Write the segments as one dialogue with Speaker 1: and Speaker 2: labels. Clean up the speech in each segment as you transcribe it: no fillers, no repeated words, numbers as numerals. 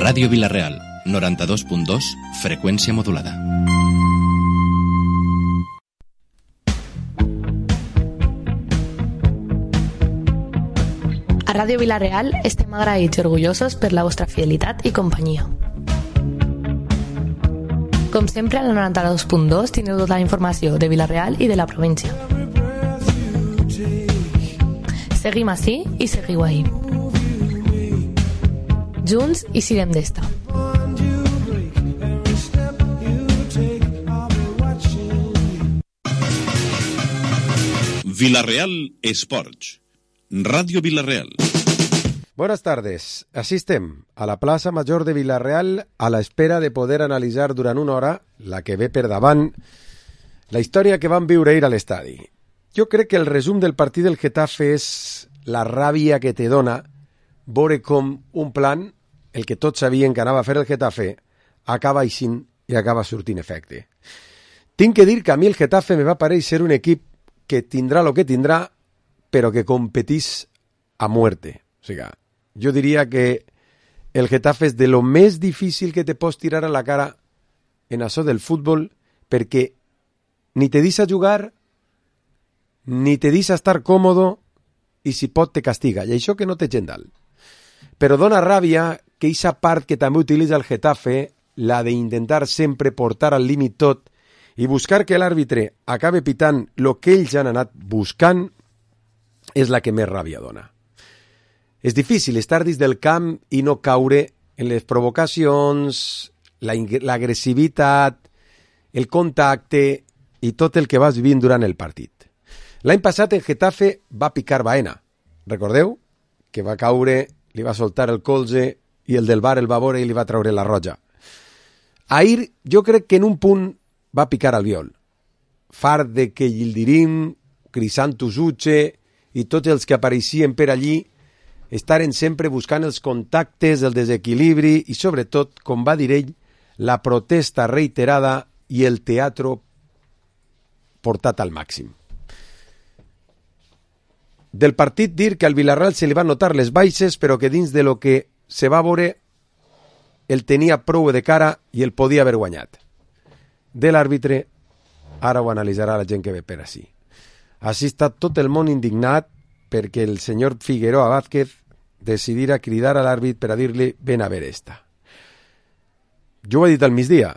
Speaker 1: Ràdio Vila-real, 92.2, freqüència modulada.
Speaker 2: A Ràdio Vila-real estem agraïts i orgullosos per la vostra fidelitat i companyia. Com sempre, a la 92.2 tindreu tota la informació de Vila-real i de la província. Seguim ací i seguiu ahí. Junts i sirem d'esta.
Speaker 3: Vila-real Esports. Radio Vila-real.
Speaker 4: Buenas tardes. Así estem, a la plaça Major de Vila-real, a la espera de poder analitzar durant una hora, la que ve per davant, la història que vam viure ahir a l'estadi. Jo crec que el resum del partit del Getafe és la ràbia que te dona veure com un plan, el que tots sabien que anava a fer el Getafe, acaba eixint i acaba sortint efecte. Tinc que dir que a mi el Getafe me va parèixer un equip que tindrà el que tindrà, però que competís a muerte. O sigui, jo diria que el Getafe és de lo més difícil que te pots tirar a la cara en això del futbol, perquè ni te deixa jugar, ni te deixa estar còmodo, i si pot te castiga. I això que no té gent dalt. Però dona ràbia que aquesta part que també utilitza el Getafe, la d'intentar sempre portar al límit tot i buscar que l'àrbitre acabe pitant el que ells han anat buscant, és la que més ràbia dona. És difícil estar dins del camp i no caure en les provocacions, l'agressivitat, el contacte i tot el que vas vivint durant el partit. L'any passat el Getafe va picar Baena. Recordeu? Que va caure, li va soltar el colze i el del bar el va veure i li va treure la roja. Ahir jo crec que en un punt va picar Albiol. Fart de que Yildirim, Crisantus Uche i tots els que apareixien per allí estaren sempre buscant els contactes, el desequilibri i, sobretot, com va dir ell, la protesta reiterada i el teatre portat al màxim. Del partit dir que al Villarreal se li van notar les baixes, però que dins de lo que se va veure el tenia prou de cara i el podia haver guanyat. De l'àrbitre, ara ho analitzarà la gent que ve per ací. Així està tot el món indignat perquè el senyor Figueroa Vázquez decidirà cridar a l'àrbit per a dir-li ven a ver esta. Jo ho he dit al migdia.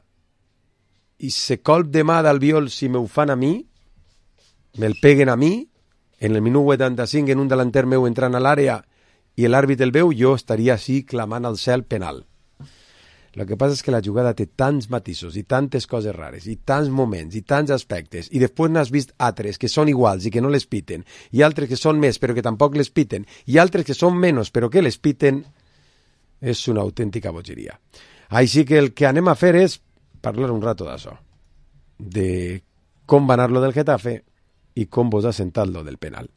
Speaker 4: I se colp de mà d'Albiol si me ho fan a mi, me'l peguen a mi, en el minut 85 en un delanter meu entrant a l'àrea i l'àrbit el veu, jo estaria així clamant al cel penal. El que passa és que la jugada té tants matisos i tantes coses rares i tants moments i tants aspectes i després n'has vist altres que són iguals i que no les piten i altres que són més però que tampoc les piten i altres que són menys però que les piten, és una autèntica bogeria. Així que el que anem a fer és parlar un rato d'això, de com va anar lo del Getafe i com vos ha sentat lo del penal.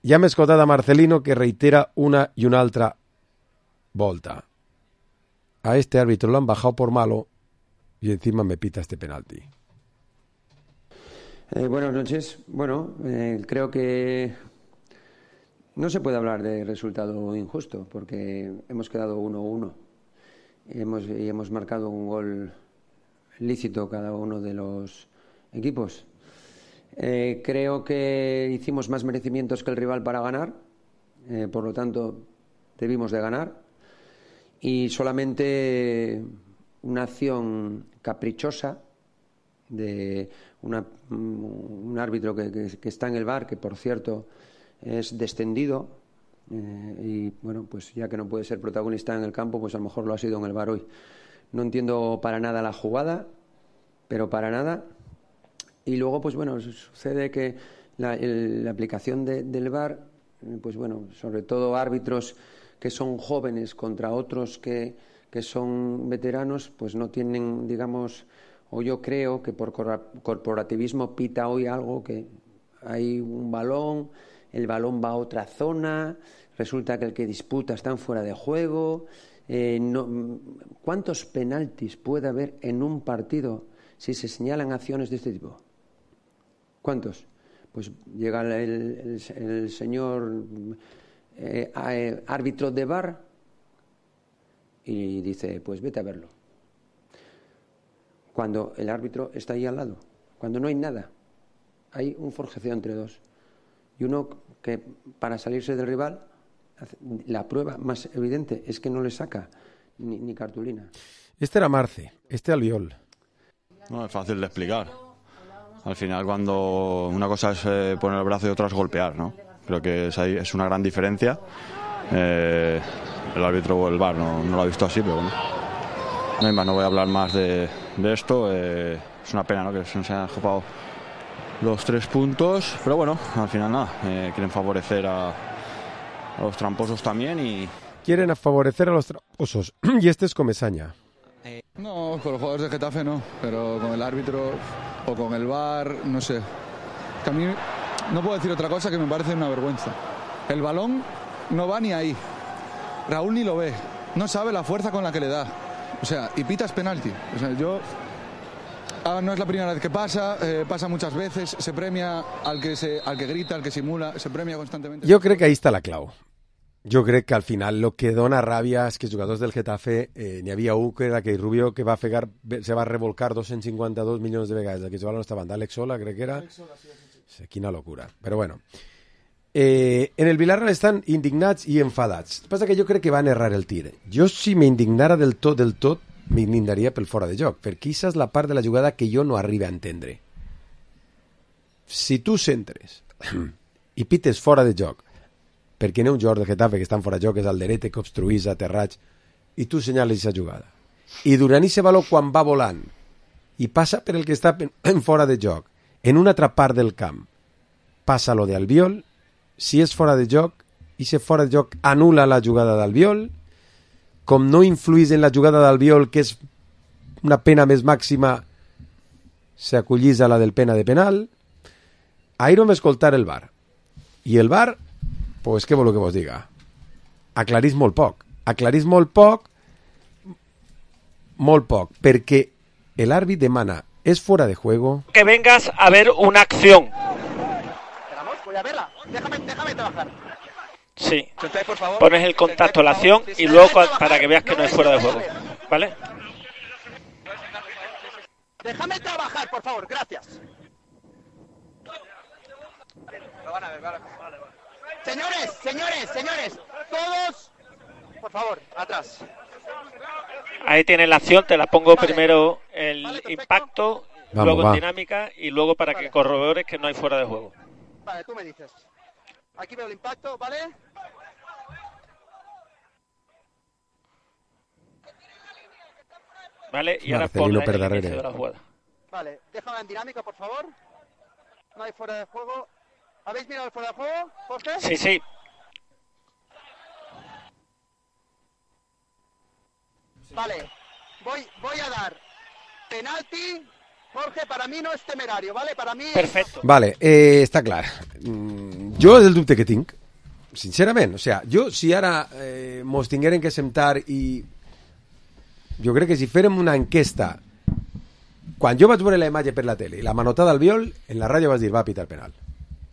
Speaker 4: Ja hem escoltat a Marcelino que reitera una i una altra volta. A este árbitro lo han bajado por malo y encima me pita este penalti.
Speaker 5: Buenas noches. Bueno, creo que no se puede hablar de resultado injusto porque hemos quedado 1-1 y hemos marcado un gol lícito cada uno de los equipos. Creo que hicimos más merecimientos que el rival para ganar, por lo tanto debimos de ganar. Y solamente una acción caprichosa de un árbitro que está en el VAR, que por cierto es descendido, y bueno, pues ya que no puede ser protagonista en el campo, pues a lo mejor lo ha sido en el VAR hoy. No entiendo para nada la jugada, pero para nada. Y luego, pues bueno, sucede que la aplicación del VAR, pues bueno, sobre todo árbitros que son jóvenes contra otros que son veteranos, pues no tienen, digamos, o yo creo que por corporativismo pita hoy algo que hay un balón, el balón va a otra zona, resulta que el que disputa está fuera de juego. ¿Cuántos penaltis puede haber en un partido si se señalan acciones de este tipo? ¿Cuántos? Pues llega el señor árbitro de VAR y dice, pues vete a verlo. Cuando el árbitro está ahí al lado, cuando no hay nada, hay un forcejeo entre dos. Y uno que para salirse del rival, la prueba más evidente es que no le saca ni cartulina.
Speaker 4: Este era Marce, este Albiol.
Speaker 6: No, es fácil de explicar. Al final, cuando una cosa es poner el brazo y otra es golpear, ¿no? Creo que es una gran diferencia. El árbitro o el VAR no lo ha visto así, pero bueno. No hay más, no voy a hablar más de esto. Es una pena, ¿no?, que se nos hayan escapado los 3 puntos, pero bueno, al final nada. Quieren favorecer a los tramposos también y...
Speaker 4: Quieren favorecer a los tramposos. Y este es Comesaña.
Speaker 7: No, con los jugadores de Getafe no, pero con el árbitro o con el VAR, no sé. Que a mí no puedo decir otra cosa que me parece una vergüenza. El balón no va ni ahí. Raúl ni lo ve. No sabe la fuerza con la que le da. O sea, y pitas penalti. O sea, no es la primera vez que pasa, pasa muchas veces, se premia al que grita, al que simula, se premia constantemente.
Speaker 4: Jo crec que ahí està la clau. Jo crec que al final lo que dona ràbia és que els jugadors del Getafe, n'hi havia un que era aquell Rubio que se va revolcar 252 milions de vegades, que jugava a la nostra banda, Alex Sola, crec que era. Sí, quina locura. Però bueno, en el Villarreal estan indignats i enfadats. El que passa que jo crec que van errar el tir. Jo, si m'indignara del tot, m'indignaria pel fora de joc, perquè aquesta és la part de la jugada que jo no arribo a entendre. Si tu centres i pites fora de joc, perquè n'hi ha un jugador de Getafe que està en fora de joc, és el Derete, que obstruís a Terraig, i tu senyales aquesta jugada. I durant aquest valor, quan va volant i passa per el que està en fora de joc, en una altra part del camp, passa lo d'Albiol, si és fora de joc, i si fora de joc anula la jugada d'Albiol, com no influís en la jugada d'Albiol, que és una pena més màxima, s'acollís a la del pena de penal. Ahir vam escoltar el VAR. I el VAR, pues què voleu que vos diga? Aclarís molt poc. Aclarís molt poc, perquè l'àrbit demana, és fora de juego.
Speaker 8: Que vengas a ver una acción.
Speaker 9: Vamos, voy a verla. Déjame trabajar.
Speaker 8: Sí.
Speaker 9: Entonces, por favor,
Speaker 8: pones el contacto, la acción y luego para que veas que no es fuera de juego. ¿Vale?
Speaker 9: Déjame trabajar, por favor, gracias. Lo van a ver, vale. Señores, todos, por favor, atrás.
Speaker 8: Ahí tienes la acción, te la pongo primero el impacto, luego en dinámica y luego para que corrobores que no hay fuera de juego.
Speaker 9: Vale, tú me dices. Aquí veo el impacto, ¿vale?
Speaker 8: Vale, y ahora pon el inicio de la jugada.
Speaker 9: Vale, déjame en dinámica, por favor. No hay fuera de juego. ¿Habéis mirado el fuera de juego, Jorge?
Speaker 8: Sí.
Speaker 9: Vale, voy a dar penalti. Jorge, para mí no es temerario, ¿vale? Para mí...
Speaker 8: Perfecto.
Speaker 4: Vale, està clar. Jo és el dubte que tinc, sincerament. O sea, jo, si ara mos tingueren que sentar i... Jo crec que si fèrem una enquesta... Quan jo vaig veure la imatge per la tele i la manotada d'Albiol, en la ràdio vas dir, va a pitar penal.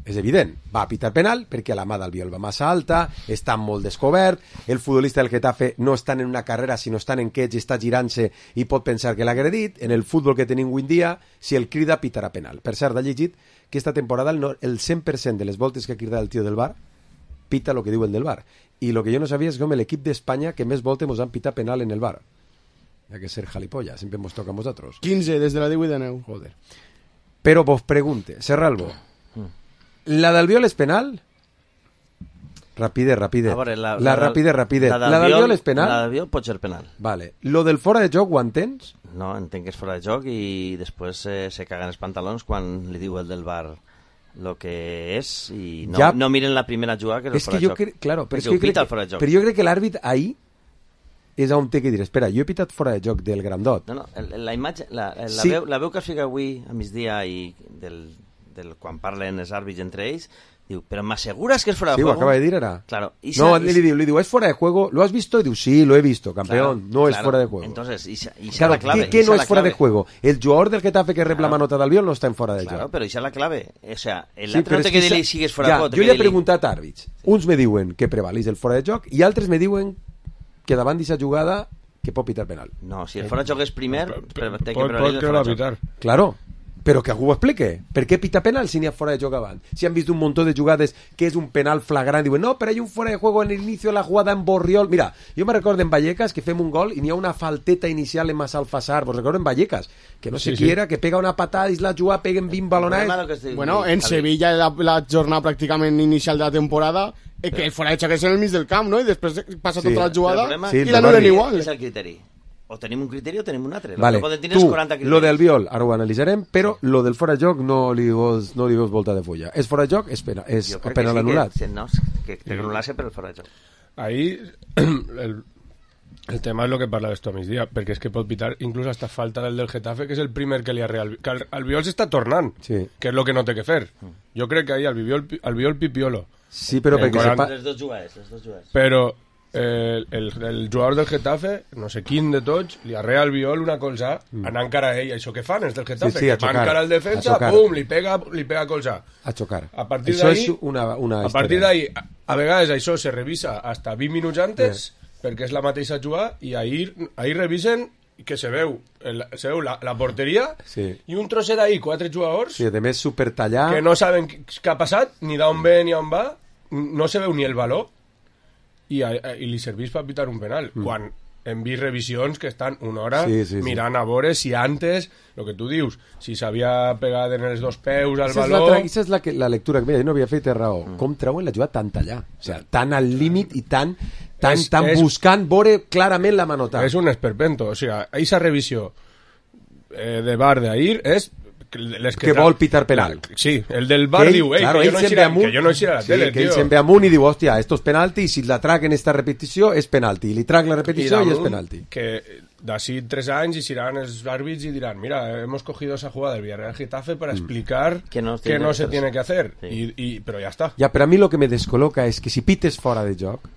Speaker 4: És evident, va a pitar penal perquè la mà d'Albiol va massa alta, està molt descobert, el futbolista del Getafe no està en una carrera, sinó està en quets i està girant-se i pot pensar que l'ha agredit. En el futbol que tenim avui en dia, si el crida, pitarà penal. Per cert, ha llegit que esta temporada el 100% de les voltes que ha cridat el tio del VAR pita el que diu el del VAR. I el que jo no sabia és com l'equip d'Espanya que més voltes mos han pitat penal en el VAR. Hi ha que ser jalipollas, sempre mos toca a nosaltres.
Speaker 10: 15, des de la 18 de 9.
Speaker 4: Joder. Però vos pregunte, Serralbo, la d'Albiol és penal? Rapidez.
Speaker 11: Veure,
Speaker 4: rapidez. La d'Albiol és penal?
Speaker 11: La d'Albiol pot ser penal.
Speaker 4: Vale. Lo del fora de joc ho entens?
Speaker 11: No, entenc que és fora de joc i després se caguen els pantalons quan li diu el del VAR lo que és i no miren la primera jugada que és el fora de joc.
Speaker 4: Claro, però jo crec que l'àrbit ahí és on té que dir, espera, jo he pitat fora de joc del grandot.
Speaker 11: No, la imatge, la veu que es fica avui a migdia i quan parlen els àrbits entre ells, diu, però m'assegures que és fora de juego?
Speaker 4: Sí, ho acaba de dir ara.
Speaker 11: Claro.
Speaker 4: No, li diu, es fora de juego, ¿lo has visto? Y diu, sí, lo he visto, campeón, no es fuera de juego.
Speaker 11: Entonces, ixa la clave.
Speaker 4: ¿Qué no es fuera de juego? El jugador del Getafe que rep la manota d'Albiol no està en fora de joc.
Speaker 11: Claro, però ixa la clave. O sea, l'altre no té que dir-li si és fora de juego.
Speaker 4: Jo li he preguntat a àrbits. Uns me diuen que prevalís el fora de joc i altres me diuen que davant d'aquesta jugada que pot pitar penal.
Speaker 11: No, si el fora de joc és primer, té que
Speaker 10: pot que va pitar.
Speaker 4: Claro. Però que algú ho explique. Per què pita penal si n'hi ha fora de joc abans? Si han vist un montón de jugades que és un penal flagrant, diuen, no, però hay un fuera de juego en el inicio de la jugada en Borriol. Mira, jo me recordo en Vallecas que fem un gol i n'hi ha una falteta inicial en Massalfassar. Vos recordo en Vallecas, que no sé qui era, que pega una patada i la juga, peguen 20 balonades.
Speaker 12: Bueno, en Sevilla la jornada pràcticament inicial de la temporada que el fora de joc és en el mig del camp, no? I després passa tota la jugada i l'anulen igual.
Speaker 11: És el criteri. O tenim un criteri o tenim un altre.
Speaker 4: Vale, tu, lo del Albiol, ara ho analitzarem, però lo del fora de joc no li veus volta de fulla. És fora de joc, és penal anul·lat.
Speaker 11: No, que anul·lar-se per el fora de joc.
Speaker 10: Ahí el tema és el que parlaves tu a migdia, perquè és que pot pitar inclús hasta falta del Getafe, que és el primer que li ha real... Que el Albiol s'està tornant, que és el que no té que fer. Jo crec que ahí Albiol pipiolo.
Speaker 4: Sí, però perquè...
Speaker 11: Les dos jugades.
Speaker 10: Però el jugador del Getafe, no sé quin de tots, li arrea al Albiol una colzà, anant cara a ell. Això que fan els del Getafe, que van cara al defensa, pum, li pega colzà.
Speaker 4: A xocar.
Speaker 10: A partir
Speaker 4: això
Speaker 10: d'ahí,
Speaker 4: és una
Speaker 10: a partir d'ahí, a vegades això se revisa hasta 20 minuts antes, perquè és la mateixa jugada, i ahir revisen que se veu la porteria i un trosset ahí, 4 jugadors
Speaker 4: a més supertallar,
Speaker 10: que no saben què ha passat, ni d'on ve ni on va, no se veu ni el valor, i li serveix per pitar un penal quan hem vist revisions que estan una hora mirant a veure si antes, el que tu dius, si s'havia pegat en els dos peus al valor.
Speaker 4: Aquesta és la lectura que no havia fet raó. Com treuen la jugada tan tallar, o sigui, tan al límit i tan buscant veure clarament la manotada.
Speaker 10: És un esperpento, o sigui, aquesta revisió de VAR d'ahir és
Speaker 4: que vol pitar penal.
Speaker 10: Sí, el del VAR diu, que jo no eixiré a la tele,
Speaker 4: que ell se'n ve amunt i diu, hòstia, esto es penalti, i si la trac en esta repetició és penalti, i li trac la repetició i és penalti.
Speaker 10: Que d'ací 3 anys iran els àrbits i diran, mira, hemos cogido esa jugada del Villarreal Getafe para explicar que no se tiene que hacer, però ja està.
Speaker 4: Ja, però a mi lo que me descoloca és que si pites fora de joc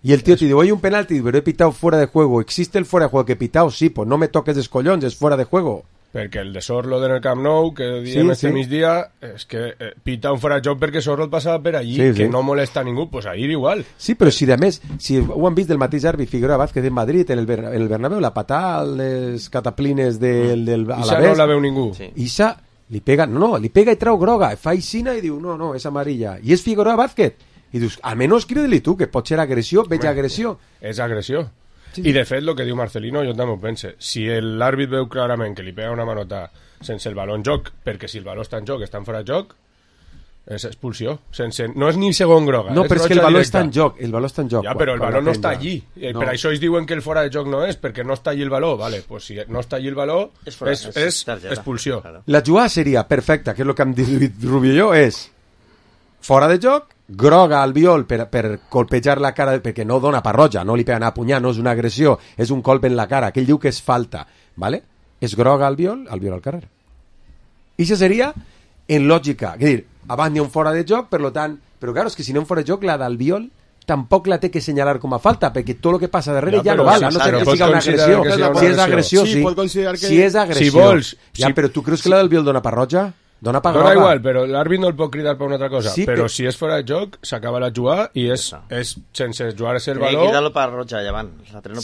Speaker 4: y el tío te dice, hay un penalti, pero he pitado fuera de juego. ¿Existe el fuera de juego que he pitado? Sí, pues no me toques de escollons, es fuera de juego.
Speaker 10: Perquè el de Sorloth en el Camp Nou, que diem este migdia, és que pita un fora de joc perquè Sorloth passava per allí, que no molesta a ningú, pues ahir igual.
Speaker 4: Sí, però si de més, si ho han vist del mateix àrbit Figueroa Vázquez en Madrid, en el Bernabéu, la patada a les cataplines del Alavés.
Speaker 10: Ixa no la veu ningú.
Speaker 4: Ixa li pega, li pega i trau groga, fa aixina i diu, no, és amarilla. I és Figueroa Vázquez. I dius, almenys crida-li tu, que pot ser agressió, veig agressió.
Speaker 10: És agressió. I de fet, el que diu Marcelino, jo també ho pense. Si l'àrbit veu clarament que li pega una manota sense el baló en joc, perquè si el baló està en joc, està en fora de joc, és expulsió. No és ni segon groga.
Speaker 4: No, però és que el baló està en joc. Ja,
Speaker 10: però el baló no està allí. Per això ells diuen que el fora de joc no és, perquè no està allí el baló. Vale, pues si no està allí el baló, és expulsió.
Speaker 4: La jugada seria perfecta, que és el que hem dit Rubio i jo, és fora de joc, groga al Albiol per colpejar la cara, perquè no dona parroja, no li pega a punyar, no és una agressió, és un colp en la cara, que ell diu que és falta, ¿vale? És groga al Albiol al carrer. I això seria en lògica, és dir, abans n'hi ha un fora de joc, per tant, però claro, és que si no hi ha un fora de joc, la d'Albiol tampoc la té que assenyalar com a falta, perquè tot el que passa darrere ja no val, a no ser que siga una agressió. Si és agressió, sí. Si és agressió. Ja, però tu creus que la d'Albiol dona parroja? Dona
Speaker 10: igual, però l'àrbit no el pot cridar per una altra cosa. Però si és fora de joc, s'acaba la jugada i és sense jugar-se el valor.
Speaker 11: Cridar-lo per roja, llevant.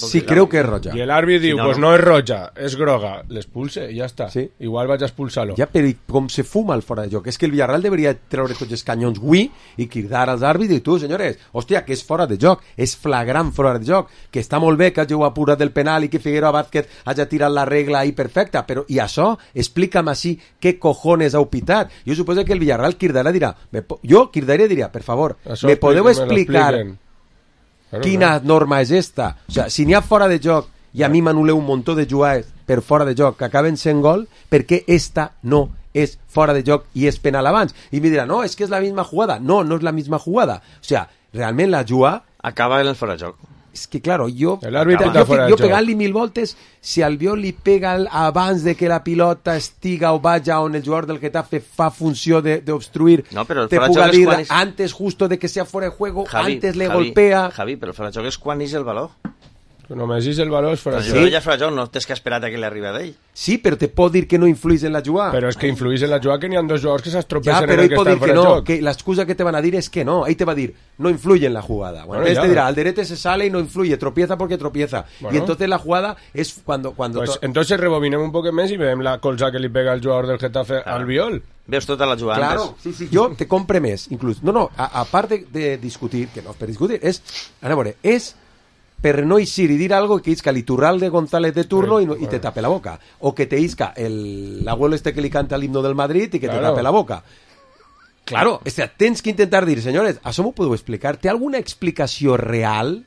Speaker 4: Sí, creu que és roja.
Speaker 10: I l'àrbit diu, pues no és roja, és groga. L'expulse i ja està. Igual vaig a expulsar-lo.
Speaker 4: Ja, però com se fuma el fora de joc? És que el Villarreal deberia treure tots els canyons avui i cridar als àrbits i dir, tu, senyores, hòstia, que és fora de joc, és flagrant fora de joc, que està molt bé que hàgiu apurat del penal i que Figueroa Vázquez hagi tirat la regla ahí perfecta, però i això, explica'm així què cojones heu pitat. Jo suposo que el Villarreal cridarà dirà, jo cridaria i diria, per favor, me podeu explicar quina norma és esta? O sea, si n'hi ha fora de joc i a mi m'anul·leu un muntó de jugades per fora de joc que acaben sent gol, per què esta no és fora de joc i és penal abans? I me dirà, no, és que és la misma jugada. No, no és la misma jugada. O sea, realment la jugada
Speaker 11: acaba en el fora de joc.
Speaker 4: És que, claro, jo pegant-li 1000 voltes, si Albiol li pega abans de que la pilota estiga o vaja on el jugador del Getafe fa funció d'obstruir, te puga dir antes justo de que sea fuera de juego, antes le golpea...
Speaker 11: Javi, però el fora de joc és quan és el valor.
Speaker 10: Només és el valor és fora de
Speaker 11: joc. Però si ja fora de joc, no tens que esperar que li arribi d'ell.
Speaker 4: Sí, però te pot dir que no influís en la jugada.
Speaker 10: Però és que influís en la jugada que n'hi ha dos jugadors que s'estropesen
Speaker 4: en
Speaker 10: el que estan fora de joc.
Speaker 4: Que l'excusa que te van a dir es que no. Ahí te va a dir, no influye en la jugada. Bueno, te dirá, Alderete se sale y no influye, tropieza porque tropieza. Bueno. Y entonces la jugada es cuando
Speaker 10: pues entonces rebobinem un poc més i veiem la colza que li pega el jugador del Getafe al Biol.
Speaker 11: Veus tota la jugada.
Speaker 4: Claro, sí, jo te compre més, inclús. No, a part de discutir, que no és per discutir, és, a veure, és per no eixir i dir algo que isca l'Iturralde González de turno y te tape la boca. O que te isca l'abuelo este que li canta l'himno del Madrid i que te tape la boca. Claro, tens que intentar dir, senyores, això m'ho podeu explicar? Té alguna explicació real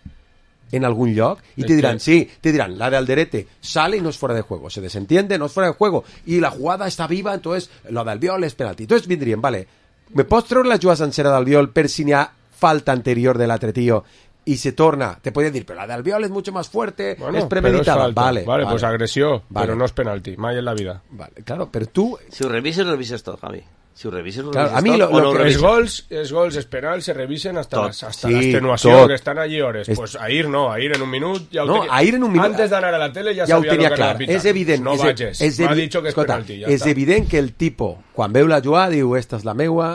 Speaker 4: en algún lloc? Y te dirán, sí, te dirán, la de Alderete sale y no es fuera de juego, se desentiende, no es fuera de juego, y la jugada está viva, entonces lo d'Albiol és penalti. Entonces vindrien, vale, me pots treure la jugada sencera d'Albiol per si n'hi ha falta anterior de l'altre tío y se torna, te podría decir, pero la de Albiol es mucho más fuerte, bueno, es premeditada. Vale,
Speaker 10: pues agresión, pero no es penalti, mai en la vida.
Speaker 4: Vale, claro, pero tú...
Speaker 11: Si ho revises tot, Javi. Si ho revises,
Speaker 4: claro, a mí lo
Speaker 10: que els gols, els penals se revisen hasta l'extenuació, que estan allí hores. Pues Ahir no, Ahir en un minut ja ho
Speaker 4: tenia. Ahir en un minut,
Speaker 10: antes d'anar a la tele ja sabia lo que era pitar.
Speaker 4: És evident,
Speaker 10: no vages, m'ha dit que és penalti.
Speaker 4: És evident que el tipo, quan veu la jugada, diu, esta és la meua,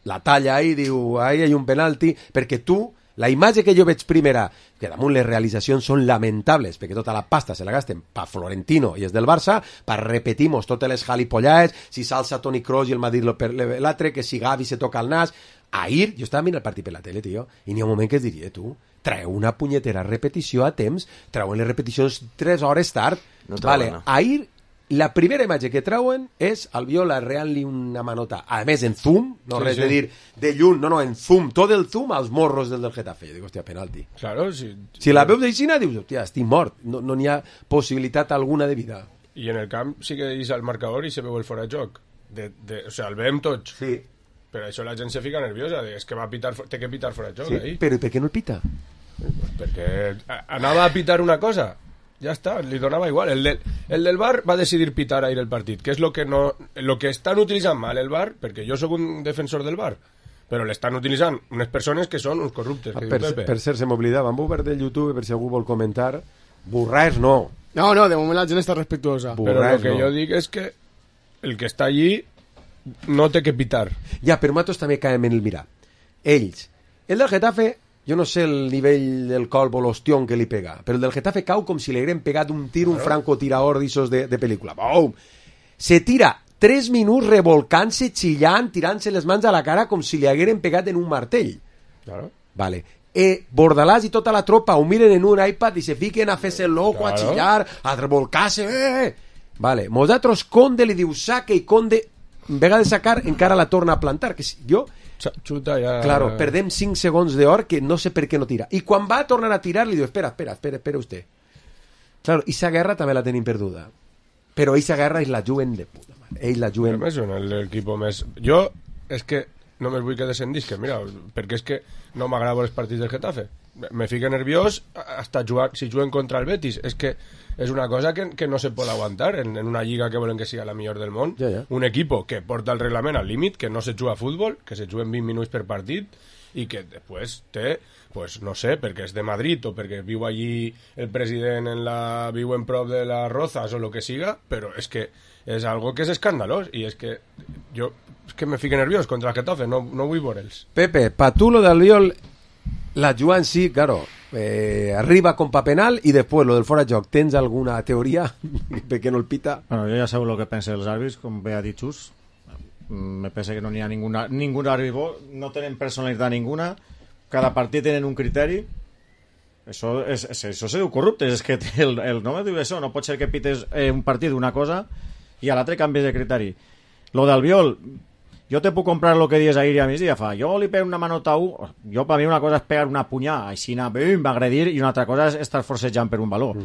Speaker 4: la talla ahí, diu, ahí hay un penalti, perquè tu, la imatge que jo veig primera, que damunt les realitzacions són lamentables, perquè tota la pasta se la gasten pa Florentino i és del Barça, pa repetimos totes les jalipollades, si s'alça Toni Kroos i el Madrid per l'altre, que si Gavi se toca el nas. Ahir, jo estava mirant el partit per la tele, tio, i n'hi ha un moment que es diria, tu, treu una punyetera repetició a temps, treuen les repeticions 3 hores tard. No vale, ahir la primera imatge que treuen és Albiol arreant-li una manota, a més en zoom, no res de dir de lluny, no, en zoom, tot el zoom als morros del Getafe. Jo dic, hòstia, penalti.
Speaker 10: Claro,
Speaker 4: si la veus d'aixina, dius, hòstia, estic mort, no n'hi ha possibilitat alguna de vida.
Speaker 10: I en el camp sí que és el marcador i se veu el fora de joc. O sigui, el veiem tots.
Speaker 4: Sí.
Speaker 10: Però això la gent se fica nerviosa, és que té que pitar fora de joc.
Speaker 4: Sí, però per què no el pita?
Speaker 10: Pues perquè anava a pitar una cosa. Ja està, li donava igual. El del VAR va decidir pitar ahir el partit, que és lo que estan utilitzant mal el VAR, perquè jo sóc un defensor del VAR, però l'estan utilitzant unes persones que són uns corruptes.
Speaker 4: Per cert, se m'oblidava, amb obert del YouTube, per si algú vol comentar, burraes no.
Speaker 12: No, de moment la gent està respectuosa.
Speaker 10: Però el que jo dic és que el que està allí no té que pitar.
Speaker 4: Ja, però nosaltres també caem en el mirar. Ells, el del Getafe, jo no sé el nivell del colp o l'ostión que li pega, però el del Getafe cau com si li hagueren pegat un tir, un francotirador d'issos de pel·lícula. Boom! Se tira 3 minuts revolcant-se, xillant, tirant-se les mans a la cara com si li hagueren pegat en un martell.
Speaker 10: Claro.
Speaker 4: Vale. Bordalàs i tota la tropa ho miren en un iPad i se fiquen a fer-se loco, a xillar, a revolcar-se. Vale. Nosaltres Conde li diu saque i Conde, en vegada de sacar, encara la torna a plantar. Que jo...
Speaker 10: Xuta ja...
Speaker 4: Claro, perdem 5 segons d'or que no sé per què no tira. I quan va a tornar a tirar li diu, espera usted. Claro, esa guerra també la tenim perduda. Però esa guerra és la juguen de puta mare. Ells la juguen...
Speaker 10: Són l'equip més... Jo, és que només vull que descendisca, mira, perquè és que no m'agrada els partits del Getafe. Me fica nerviós hasta jugar, si juguen contra el Betis. És que és una cosa que no se pot aguantar en una lliga que volen que sigui la millor del món.
Speaker 4: Ja.
Speaker 10: Un equip que porta el reglament al límit, que no se juga a futbol, que se juguen 20 minuts per partit i que després té, pues no sé, perquè és de Madrid o perquè viu allí el president viu en prop de les Rozas o lo que siga, però és que és algo que és escandalós i és que jo me fique nerviós contra el Getafe, no vull veure'ls.
Speaker 4: Pepe, pa tu lo d'Albiol la jugant sí, claro, arriba con pa penal y después lo del fora de joc. ¿Tens alguna teoria per què no el pita?
Speaker 13: Bueno, jo ja sabeu el que pensa dels àrbits, com bé ha dit Xus. Me pensa que no n'hi ha ningún àrbit, no tenen personalitat ninguna, cada partit tenen un criteri. Això se diu corruptes, és que el nom diu això, no pot ser que pites un partit d'una cosa i a l'altre canvies de criteri. Lo d'Albiol, jo te puc comprar el que dius ahir a migdia, jo li pego una manota a jo per mi una cosa és pegar una punyà, així va agredir, i una altra cosa és estar forcejant per un valor.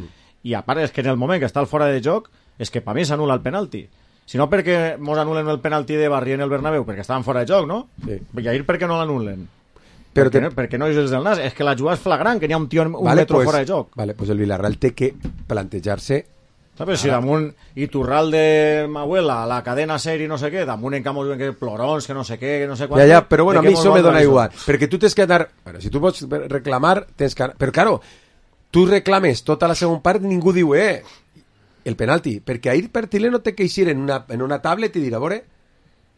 Speaker 13: I a part és que en el moment que està el fora de joc és que per mi s'anul·la el penalti. Si no perquè mos anulen el penalti de Barri en el Bernabéu, perquè estaven fora de joc, no?
Speaker 4: Sí.
Speaker 13: I ahir per què no l'anulen? Perquè no és del nas, és que la jugada és flagrant, que n'hi ha un tio un metro fora de joc.
Speaker 4: Vale, pues el Villarreal té que plantejar-se.
Speaker 13: No, però si damunt Iturralde, Mahuela, la cadena SER i no sé què, damunt en camp que plorons, que no sé què, que no sé quant...
Speaker 4: Ja, però bueno, a mi això me dona igual, perquè tu tens que anar... Bueno, si tu pots reclamar, tens que... Però, claro, tu reclames tota la segona part i ningú diu, el penalti, perquè ahir Pertilé no té que eixir en una tablet i dir, a veure,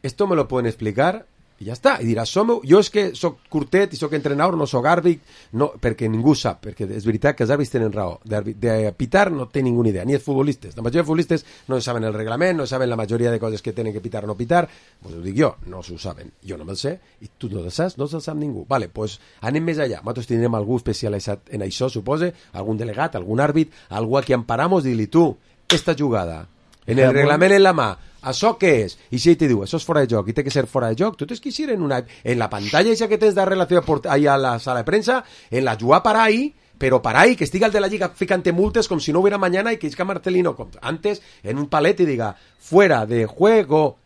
Speaker 4: esto me lo pueden explicar, i ja està, i diràs, jo és que soc curtet i soc entrenador, no soc àrbit, no, perquè ningú sap, perquè és veritat que els àrbits tenen raó, de pitar no té ninguna idea, ni els futbolistes, la majoria de futbolistes no saben el reglament, no saben la majoria de coses que tenen que pitar o no pitar, pues ho dic jo, no s'ho saben, jo no me'l sé, i tu no el saps, no se'l sap ningú, vale, pues anem més allà, nosaltres tindrem algú especialitzat en això, supose, algun delegat, algun àrbit, algú a qui emparamos, dir-li tu, esta jugada, en el reglament en la mà, això què és? I si ell te diu, això és fora de joc i té que ser fora de joc, tu tens que ir en la pantalla esa que tens de relació ahí a la sala de prensa, en la jugada para ahí, pero para ahí, que estiga el de la Lliga ficante multes como si no hubiera mañana y que isca Marcelino antes en un palet y diga, fuera de juego.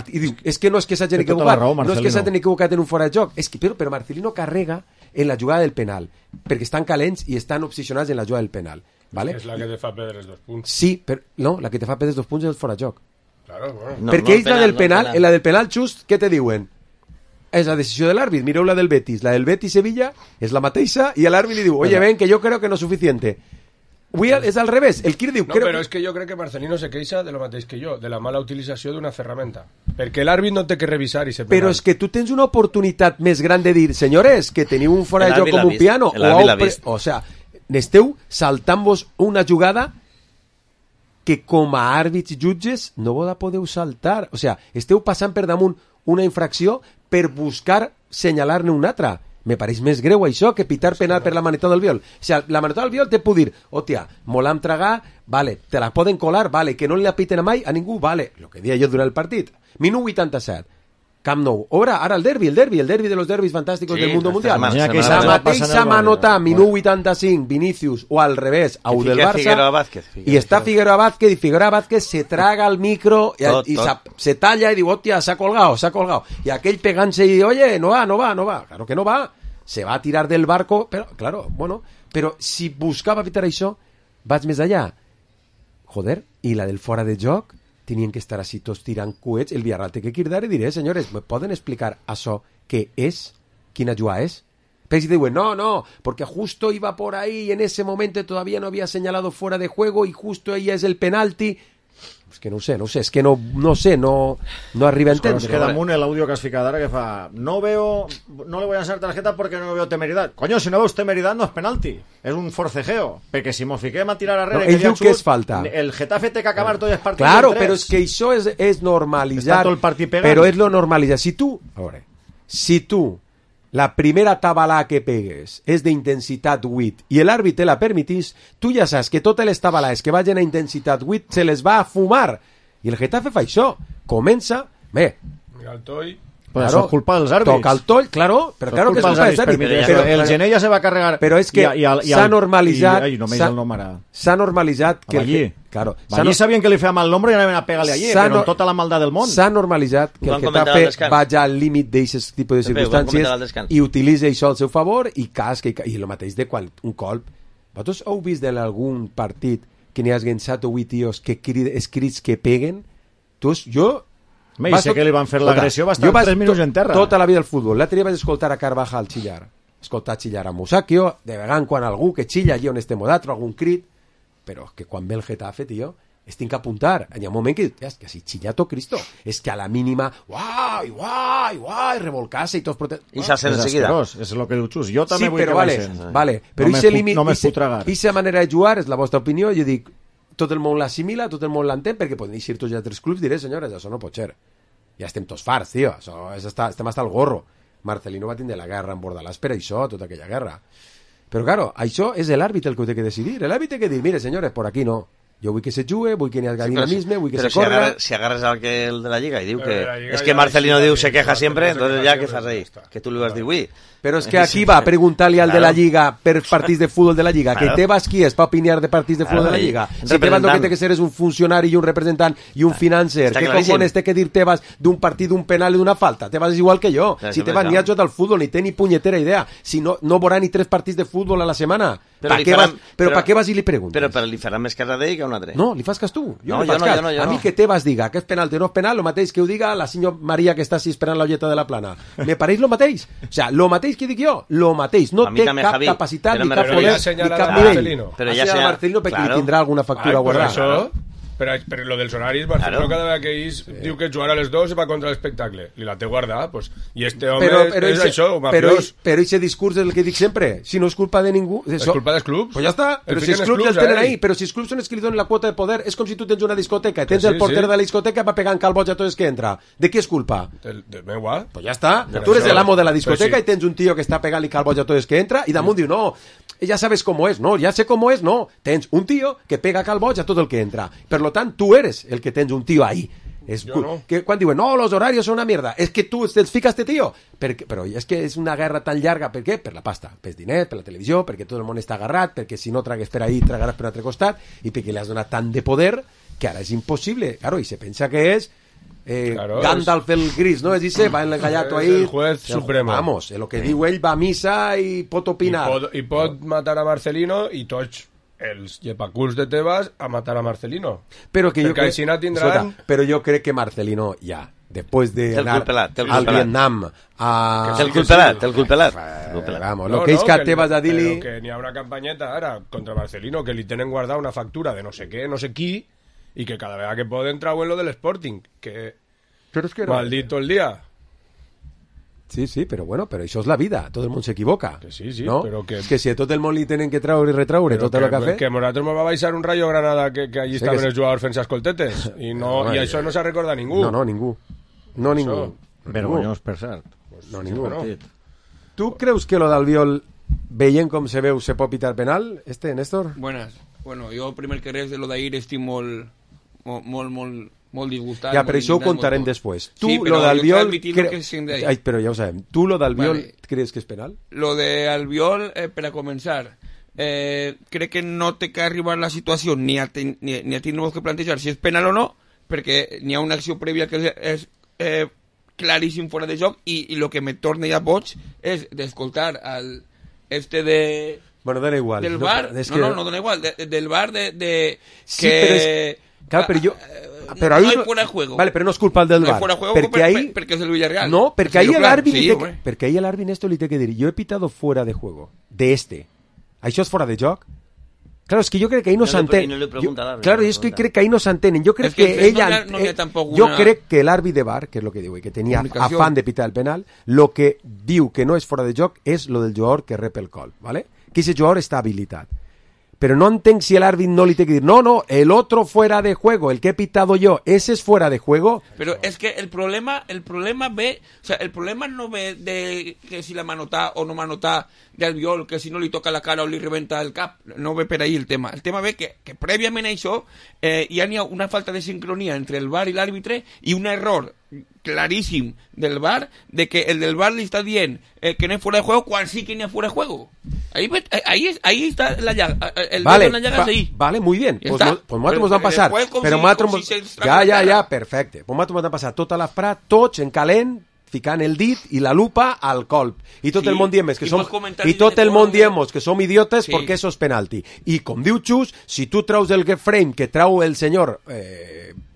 Speaker 4: I diu, és que no és que s'hagin equivocat, no és que s'hagin equivocat en un fora de joc, és que, però Marcelino carrega en la jugada del penal, perquè estan calents i estan obsessionats en la jugada del penal. ¿Vale?
Speaker 10: És la que te fa perdre els 2 punts.
Speaker 4: Sí, però no, la que te fa perdre els 2 punts és el fora de joc.
Speaker 10: Claro, bueno.
Speaker 4: No, perquè ells la del penal, en la del penal just, què te diuen? És la decisió de l'àrbit, mireu la del Betis-Sevilla, és la mateixa, i l'àrbit li diu, oye, ven, que yo creo que no es suficiente. És al revés, el Kir diu...
Speaker 10: No, però és que jo crec que Marcelino se queixa de lo mateix que jo, de la mala utilització d'una ferramenta. Perquè l'àrbit no té que revisar i ser penal.
Speaker 4: Però és que tu tens una oportunitat més gran de dir, senyores, que teniu un fora de joc com un piano, o sea, n'esteu saltant-vos una jugada que com a àrbits i jutges no vos la podeu saltar. O sea, esteu passant per damunt una infracció per buscar senyalar-ne una altra. Me pareix més greu això que pitar penal per la maneta del viol. O sea, la maneta del viol te puc dir, hòstia, molam tragar, vale, te la poden colar, vale, que no li apiten a mai a ningú, vale, lo que dia jo durant el partit. Minut 87. Camp Nou. Ara el derbi de los derbis fantàsticos del mundo mundial. La mateixa manota, minut 85, Vinicius, o al revés, a del Barça, i està Figueroa Vázquez, i Figueroa Vázquez se traga el micro i se talla i diu, hòstia, s'ha colgado. I aquell pegant-se i diu, oye, no va. Claro que no va. Se va a tirar del barco, però, claro, bueno, però si buscava evitar això, vaig més allà. Joder, i la del fora de joc, tenien que estar així tots tirant coets, el Villarreal té que cridar i diré, senyores, ¿me poden explicar això què és? Quina jugada és? Pero si diuen, no, porque justo iba por ahí y en ese momento todavía no había señalado fuera de juego y justo ella es el penalti. És que no sé, és que no arriba a entendre.
Speaker 13: Es que damunt l'àudio que has ficat ara que fa no le voy a hacer tarjeta porque no veo temeridad. Coño, si no veus temeridad no és penalti, és un forcejeo, perquè si mos fiquem a tirar arrere
Speaker 4: ell diu que és falta.
Speaker 13: El Getafe té que acabar tots els partits.
Speaker 4: Claro, però és que això és normalitzar, però és lo normalitzar. Si tu la primera tabalà que pegues és d'intensitat 8 i l'àrbit te la permitís, tu ja saps que totes les tabalades que vagin a intensitat 8 se les va a fumar. I el Getafe fa això. Comença,
Speaker 10: mira el toll.
Speaker 13: Pues claro, eso es culpa dels àrbits.
Speaker 4: Toca el toll, claro, pero claro que es culpa dels àrbits.
Speaker 13: Pero el Gené ja se va carregar.
Speaker 4: Però és que s'ha normalitzat...
Speaker 13: S'ha
Speaker 4: normalitzat que...
Speaker 13: Allí. Claro. Allí sabien que li feia mal l'ombro i anaven a pegar-li allí, però amb tota la maldat del món.
Speaker 4: S'ha normalitzat que el Getafe vagi al límit d'aquest tipus de circumstàncies i utilitza això al seu favor i casca i el mateix de quan un colp. Vosaltres heu vist en algun partit que n'hi hagi 7 o 8 tios que escrits que peguen? Jo...
Speaker 13: sé que li van fer l'agressió, va estar 3 minuts en terra.
Speaker 4: Tota la vida del futbol. L'altre dia vaig escoltar a Carvajal xillar. Escoltar xillar a Musacchio, de vegades quan algú que xilla allí on estem d'altre, algun crit, però que quan ve el Getafe, tio, es tinc que apuntar. Hi ha un moment que si xillato Cristo, és que a la mínima, uai, revolcar-se i tots protestos.
Speaker 11: I s'alcen de seguida.
Speaker 13: És el que diu Xus. Jo també vull que
Speaker 4: baixen. Vale, però aquesta manera de jugar és la vostra opinió, jo dic, tot el món l'assimila, tot el món l'entén, perquè poden eixir tots els altres clubs, diré, senyores, això no pot ser. Ja estem tots farts, tio, estem hasta el gorro. Marcelino va tindre la guerra en Bordalàs per això, tota aquella guerra. Però, claro, això és l'àrbit el que ho té que decidir. L'àrbit té que dir, mire, senyores, por aquí no. Jo vull que se jugue, vull que n'hi hagi dinamisme, vull que se corra...
Speaker 11: Però si agarres el de la Lliga i diu que... És que Marcelino diu se queja sempre, entonces ja què fas ahí? Que tu li vas dir, ui...
Speaker 4: Però és que aquí va preguntar-li al de la Lliga per partits de futbol de la Lliga, que Tebas qui és per opinar de partits de futbol de la Lliga? Si Tebas lo que té que ser és un funcionari i un representant i un financer, què cojones té que dir Tebas d'un partit, d'un penal i d'una falta? Tebas és igual que jo. Si Tebas ni ha jugat al futbol ni té ni punyetera idea, si no veurà ni 3 partits de futbol a la setmana, Per què vas i li preguntes?
Speaker 11: Però li farà més cas a ell que a un altre.
Speaker 4: No, li fas cas tu.
Speaker 11: Jo
Speaker 4: no. A mi que te vas diga que és penal o no és penal, el mateix que ho diga la senyora Maria que està així esperant l'olleta de la plana. Me pareix lo mateix. O sea, lo mateix que dic jo, lo mateix. No té cap capacitat ni cap poder ni cap nivell.
Speaker 11: Però ja senyala
Speaker 4: Marcelino perquè li tindrà alguna factura guardada.
Speaker 10: Però lo dels horaris, Barcelona cada vegada que ells diu que jugar a les 2 va contra l'espectacle. Li la té guardada, pues. I este home és això, mafiós.
Speaker 4: Però ese discurs és el que dic sempre. Si no és culpa de ningú...
Speaker 10: És culpa dels clubs.
Speaker 4: Pues ja està. Però si els clubs ja tenen ahí. Però si els clubs són els que li donen la quota de poder, és com si tu tens una discoteca. Tens el porter de la discoteca va pegant calboig a tots els que entra. De qui és culpa?
Speaker 10: De meua.
Speaker 4: Pues ja està. Tu eres l'amo de la discoteca i tens un tio que està pegant-li calboig a tots els que entra i damunt diu, no, ja sabes cómo es. No, ya sé cómo es, no. Tens un tío que pega calboig a tot el que entra. Per lo tant, tu eres el que tens un tío ahí. Que quan diuen, no, los horarios son una mierda, es que tu te fica este tío. Però és que és una guerra tan llarga, per què? Per la pasta, per diners, per la televisió, perquè tot el món està agarrat, perquè si no tragues per ahí, tragaràs per un altre costat, i perquè li has donat tant de poder que ara és impossible. Claro, i se pensa que és Gandalf el gris, ¿no? Es dice, va en el gallato ahí.
Speaker 10: El juez supremo.
Speaker 4: Vamos, lo que diu ell va a misa i pot opinar.
Speaker 10: I pot matar a Marcelino i tots els llepaculs de Tebas a matar a Marcelino. Perquè així no tindran...
Speaker 4: Però jo crec que Marcelino ja, després d'anar al Vietnam...
Speaker 11: Té el culpelat.
Speaker 4: Vamos, lo que és que Tebas a dir-li...
Speaker 10: Que n'hi ha una campanyeta ara contra Marcelino que li tenen guardada una factura de no sé què, no sé qui, i que cada vegada que poden trauen lo del Sporting, que...
Speaker 4: Però és que
Speaker 10: maldito el dia.
Speaker 4: Sí, però bueno, però això és la vida, tot el món s'equivoca.
Speaker 10: Que sí,
Speaker 4: no?
Speaker 10: Però que...
Speaker 4: És que si a tot el món li tenen que traure i retraure tot el que ha fet...
Speaker 10: Que Moratos me va baixar un Rayo Granada que allí estaven els jugadors fent escoltetes i això no s'ha recordat ningú.
Speaker 4: No, ningú. No ningú.
Speaker 13: Vergonyós, per cert.
Speaker 4: No, ningú. Tu creus que lo d'Albiol, veient com se veu, se pot pitar penal, Néstor?
Speaker 14: Buenas. Bueno, jo primer que res de lo d'ahir estic molt disgustat.
Speaker 4: Ja, però això ho contarem després. Tu, lo d'Albiol... Però ja ho sabem. Tu, lo d'Albiol, creus que és penal?
Speaker 14: Lo d'Albiol, per a començar, crec que no té que arribar la situació ni a tindre que plantejar si és penal o no, perquè n'hi ha una acció prèvia que és claríssim fora de joc i el que me torna ja boig és d'escoltar de...
Speaker 4: Bueno, dona igual.
Speaker 14: Del bar, no dona igual, del bar de
Speaker 4: sí, que... Claro, pero yo... Pero
Speaker 14: no hay fuera de juego.
Speaker 4: Vale, pero no es culpa del bar.
Speaker 14: Fuera de juego porque es el Villarreal.
Speaker 4: No, porque ahí el árbitro... Porque ahí el árbitro esto le tiene que decir, yo he pitado fuera de juego, de este. ¿Això és fora de joc? Claro, es que yo creo que ahí no s'entenen. Claro, es que crec que ahí no s'entenen. Yo creo que ella... Yo crec que el árbitro de bar, que es lo que digo, y que tenía afán de pitar el penal, lo que diu que no és fora de joc és lo del jugador que rep el gol, ¿vale? Que ese jugador está habilitat. Pero no entenc si el árbitro no le tiene que decir, no, el otro fuera de juego, el que he pitado yo, ese es fuera de juego.
Speaker 14: Pero es que el problema ve, o sea, el problema no ve de que si la manotá o no manotá de Albiol, que si no li toca la cara o li rebenta el cap, no ve per ahí el tema. El tema ve que prèviament a això hi ha una falta de sincronia entre el VAR i l'àrbitre i un error claríssim del VAR de que el del VAR li està dient que no és fuera de juego quan sí que no és fuera de juego. Ahí está la llaga. El
Speaker 4: vale,
Speaker 14: la llaga ahí.
Speaker 4: Vale, muy bien. Pues nosaltres ens vam passar. Però nosaltres... Ja, perfecte. Pues nosaltres ens vam passar tota l'esperat, tots en calent, ficant el dit i la lupa al colp. I tot el món diem que som... I tot el món diem que som idiotes perquè això és penalti. I com diu Xus, si tu traus el frame que trau el senyor...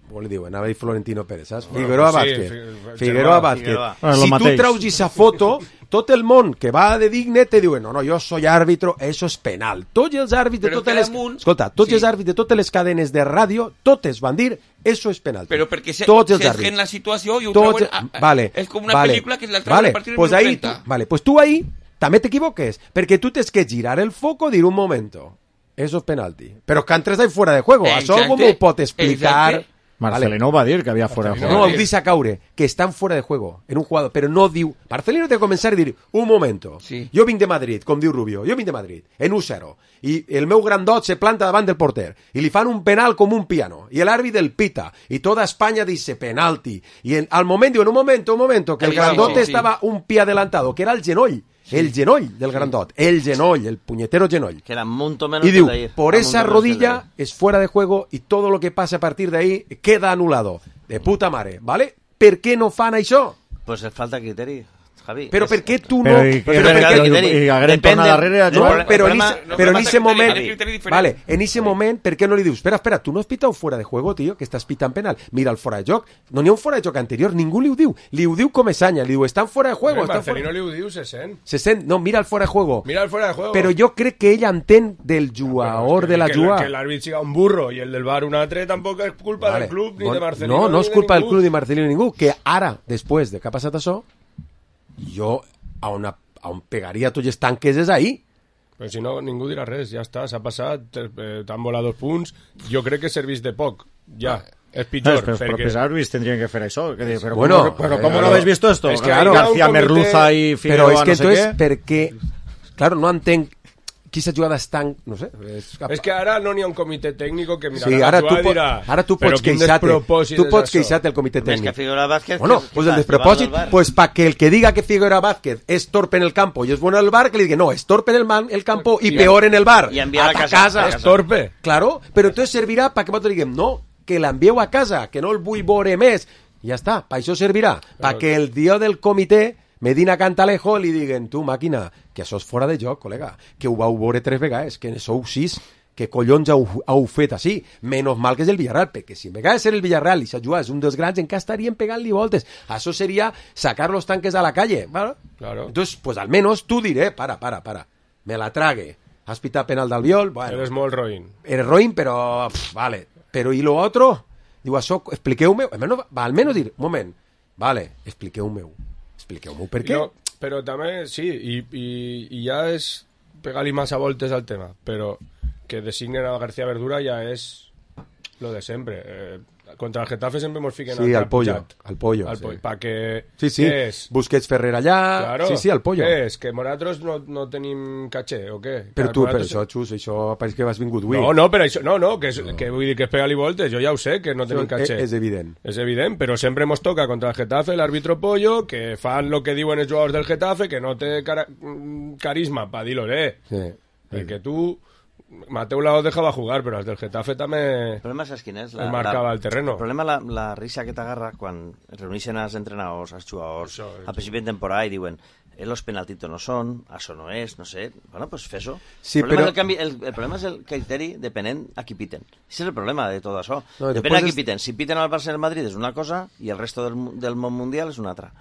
Speaker 4: com li diuen? Anava a dir Florentino Pérez, saps? Figueroa Vázquez. Si tu traus aquesta foto, tot el món que va de digne te diuen, no, jo soy árbitro, eso és penal. Tots els àrbits de totes les... Escolta, tots els àrbits de totes les cadenes de ràdio, totes van dir, eso és penal.
Speaker 14: Però perquè s'esgen la situació i ho trauen...
Speaker 4: Vale,
Speaker 14: és com una pel·lícula que la trauen a partir del 30.
Speaker 4: Vale, pues tu ahí també t'equivoques, perquè tu tens que girar el foco i dir un momento, eso és penalti. Però que entres ahí fuera de juego, això com ho pot explicar...
Speaker 13: Marcelino va dir que havia fuera de juego.
Speaker 4: No, ho deixa caure, que estan fuera de juego en un jugador, però no diu... Marcelino té que començar a dir, un momento, jo vinc de Madrid, com diu Rubio, jo vinc de Madrid, en 1-0, i el meu grandot se planta davant del porter, i li fan un penal com un piano, i l'àrbit el pita, i tota Espanya dice penalti, i al moment diuen, un momento, que el grandot estava un pie adelantado, que era el genoll, el genoll del grandot, el genoll, el puñetero genoll.
Speaker 11: Que era mucho menos
Speaker 4: y diu, por esa rodilla es fuera de juego y todo lo que pase a partir de ahí queda anulado. De puta mare, ¿vale? ¿Per què no fan això?
Speaker 11: Pues es falta criteri. Javi.
Speaker 4: Però per què tu no...
Speaker 13: I hagueren tornat darrere...
Speaker 4: Però en ese moment... Vale, en ese moment, per què no li dius espera, tu no has pitado fuera de juego, tío, que estàs pitant penal. Mira el fora de joc. No n'hi ha un fora de joc anterior, ningú li ho diu. Li ho diu Comesaña, li diu, estan fora de juego.
Speaker 10: Marcelino li ho diu, se sent.
Speaker 4: Se sent, no, mira el fora de juego.
Speaker 10: Mira el fora de juego.
Speaker 4: Però jo crec que ell entén del jugador de la jugada.
Speaker 10: Que l'àrbit siga un burro i el del VAR un altre tampoc és culpa del club ni de Marcelino.
Speaker 4: No és culpa del club ni de Marcelino ni ningú. Que ara, després de que ha passat això, jo on pegaria tots els tanques és ahí.
Speaker 10: Però si no, ningú dirà res, ja està, s'ha passat, t'han volat 2 punts, jo crec que servís de poc, ja. És pitjor.
Speaker 13: Los propios árbitros tendrían que hacer eso. Pero
Speaker 4: bueno,
Speaker 13: ¿cómo no habéis visto esto?
Speaker 10: Es que
Speaker 13: claro, García Merluza y Figueroa,
Speaker 4: pero es que
Speaker 13: no sé
Speaker 4: entonces,
Speaker 13: qué.
Speaker 4: perquè, claro, no entenc quina jugada és tan... No sé.
Speaker 10: És que ara no n'hi ha un comitè tècnic que mirarà
Speaker 4: sí,
Speaker 10: la jugada i dirà...
Speaker 4: Ara tu pots queixar-te el comitè tècnic.
Speaker 11: Més que Figueroa Vázquez...
Speaker 4: Bueno, pues el despropòsit, pues para que el que diga que Figueroa Vázquez es torpe en el campo y es bueno en el bar, que le diga, no, es torpe en el campo y peor en el bar.
Speaker 11: Y enviar
Speaker 4: a casa.
Speaker 10: És torpe.
Speaker 4: Claro, pero entonces servirà para que nosaltres diguem, no, que l'envieu a casa, que no el vull veure més. I ja està, per això servirà. Perquè el dia del comitè, Medina Cantalejo, li diguen, tu, màquina, que això és fora de joc, col·lega, que ho vau veure 3 vegades, que sou 6, que collons heu fet així. Menos mal que és el Villarreal, perquè si me de ser el Villarreal i s'ajudar és un dels grans, encara estarien pegant-li voltes. Això seria sacar los tanques a la calle. ¿Vale?
Speaker 10: Claro.
Speaker 4: Entonces, pues al menos tú diré, para, me la trague. Has pitado penal d'Albiol, bueno.
Speaker 10: Eres molt roïn.
Speaker 4: Eres roïn, però, vale. Pero ¿y lo otro? Digo, això, expliqueu-me, almenys dir, un moment, vale, expliqueu-me per què?
Speaker 10: No, però també, sí, i ja és pegar-li massa voltes al tema, però que designen a García Verdura ja és lo de sempre. Contra el Getafe sempre ens fiquen
Speaker 4: al pollo. Sí.
Speaker 10: Pa que...
Speaker 4: Sí. Busquets Ferrer allà...
Speaker 10: Claro.
Speaker 4: Sí, al pollo.
Speaker 10: Què és? Que nosaltres no tenim caché, o què?
Speaker 4: Però tu, per això, Xus, això pareix que has vingut avui.
Speaker 10: No, però això... No, que vull dir que és pegar-li voltes, jo ja ho sé, que no tenim caché.
Speaker 4: És evident.
Speaker 10: És evident, però sempre ens toca contra el Getafe l'àrbitro pollo, que fan lo que diuen els jugadors del Getafe, que no té carisma pa dir-lo,
Speaker 4: Sí.
Speaker 10: Perquè tu... Mateu Laoz dejava jugar, però els del Getafe també...
Speaker 11: El problema és quin és?
Speaker 10: Marcava el terreno.
Speaker 11: El problema la risa que t'agarra quan es reuneixen els entrenadors, els jugadors, al principi de temporada i diuen los penaltitos no són, això no és, no sé... Bueno, pues fes-ho.
Speaker 4: Sí,
Speaker 11: el problema és el criteri depenent a qui piten. Això és el problema de tot això. No, depèn a qui piten. Si piten al Barça i al Madrid és una cosa i el resto del món mundial és una altra.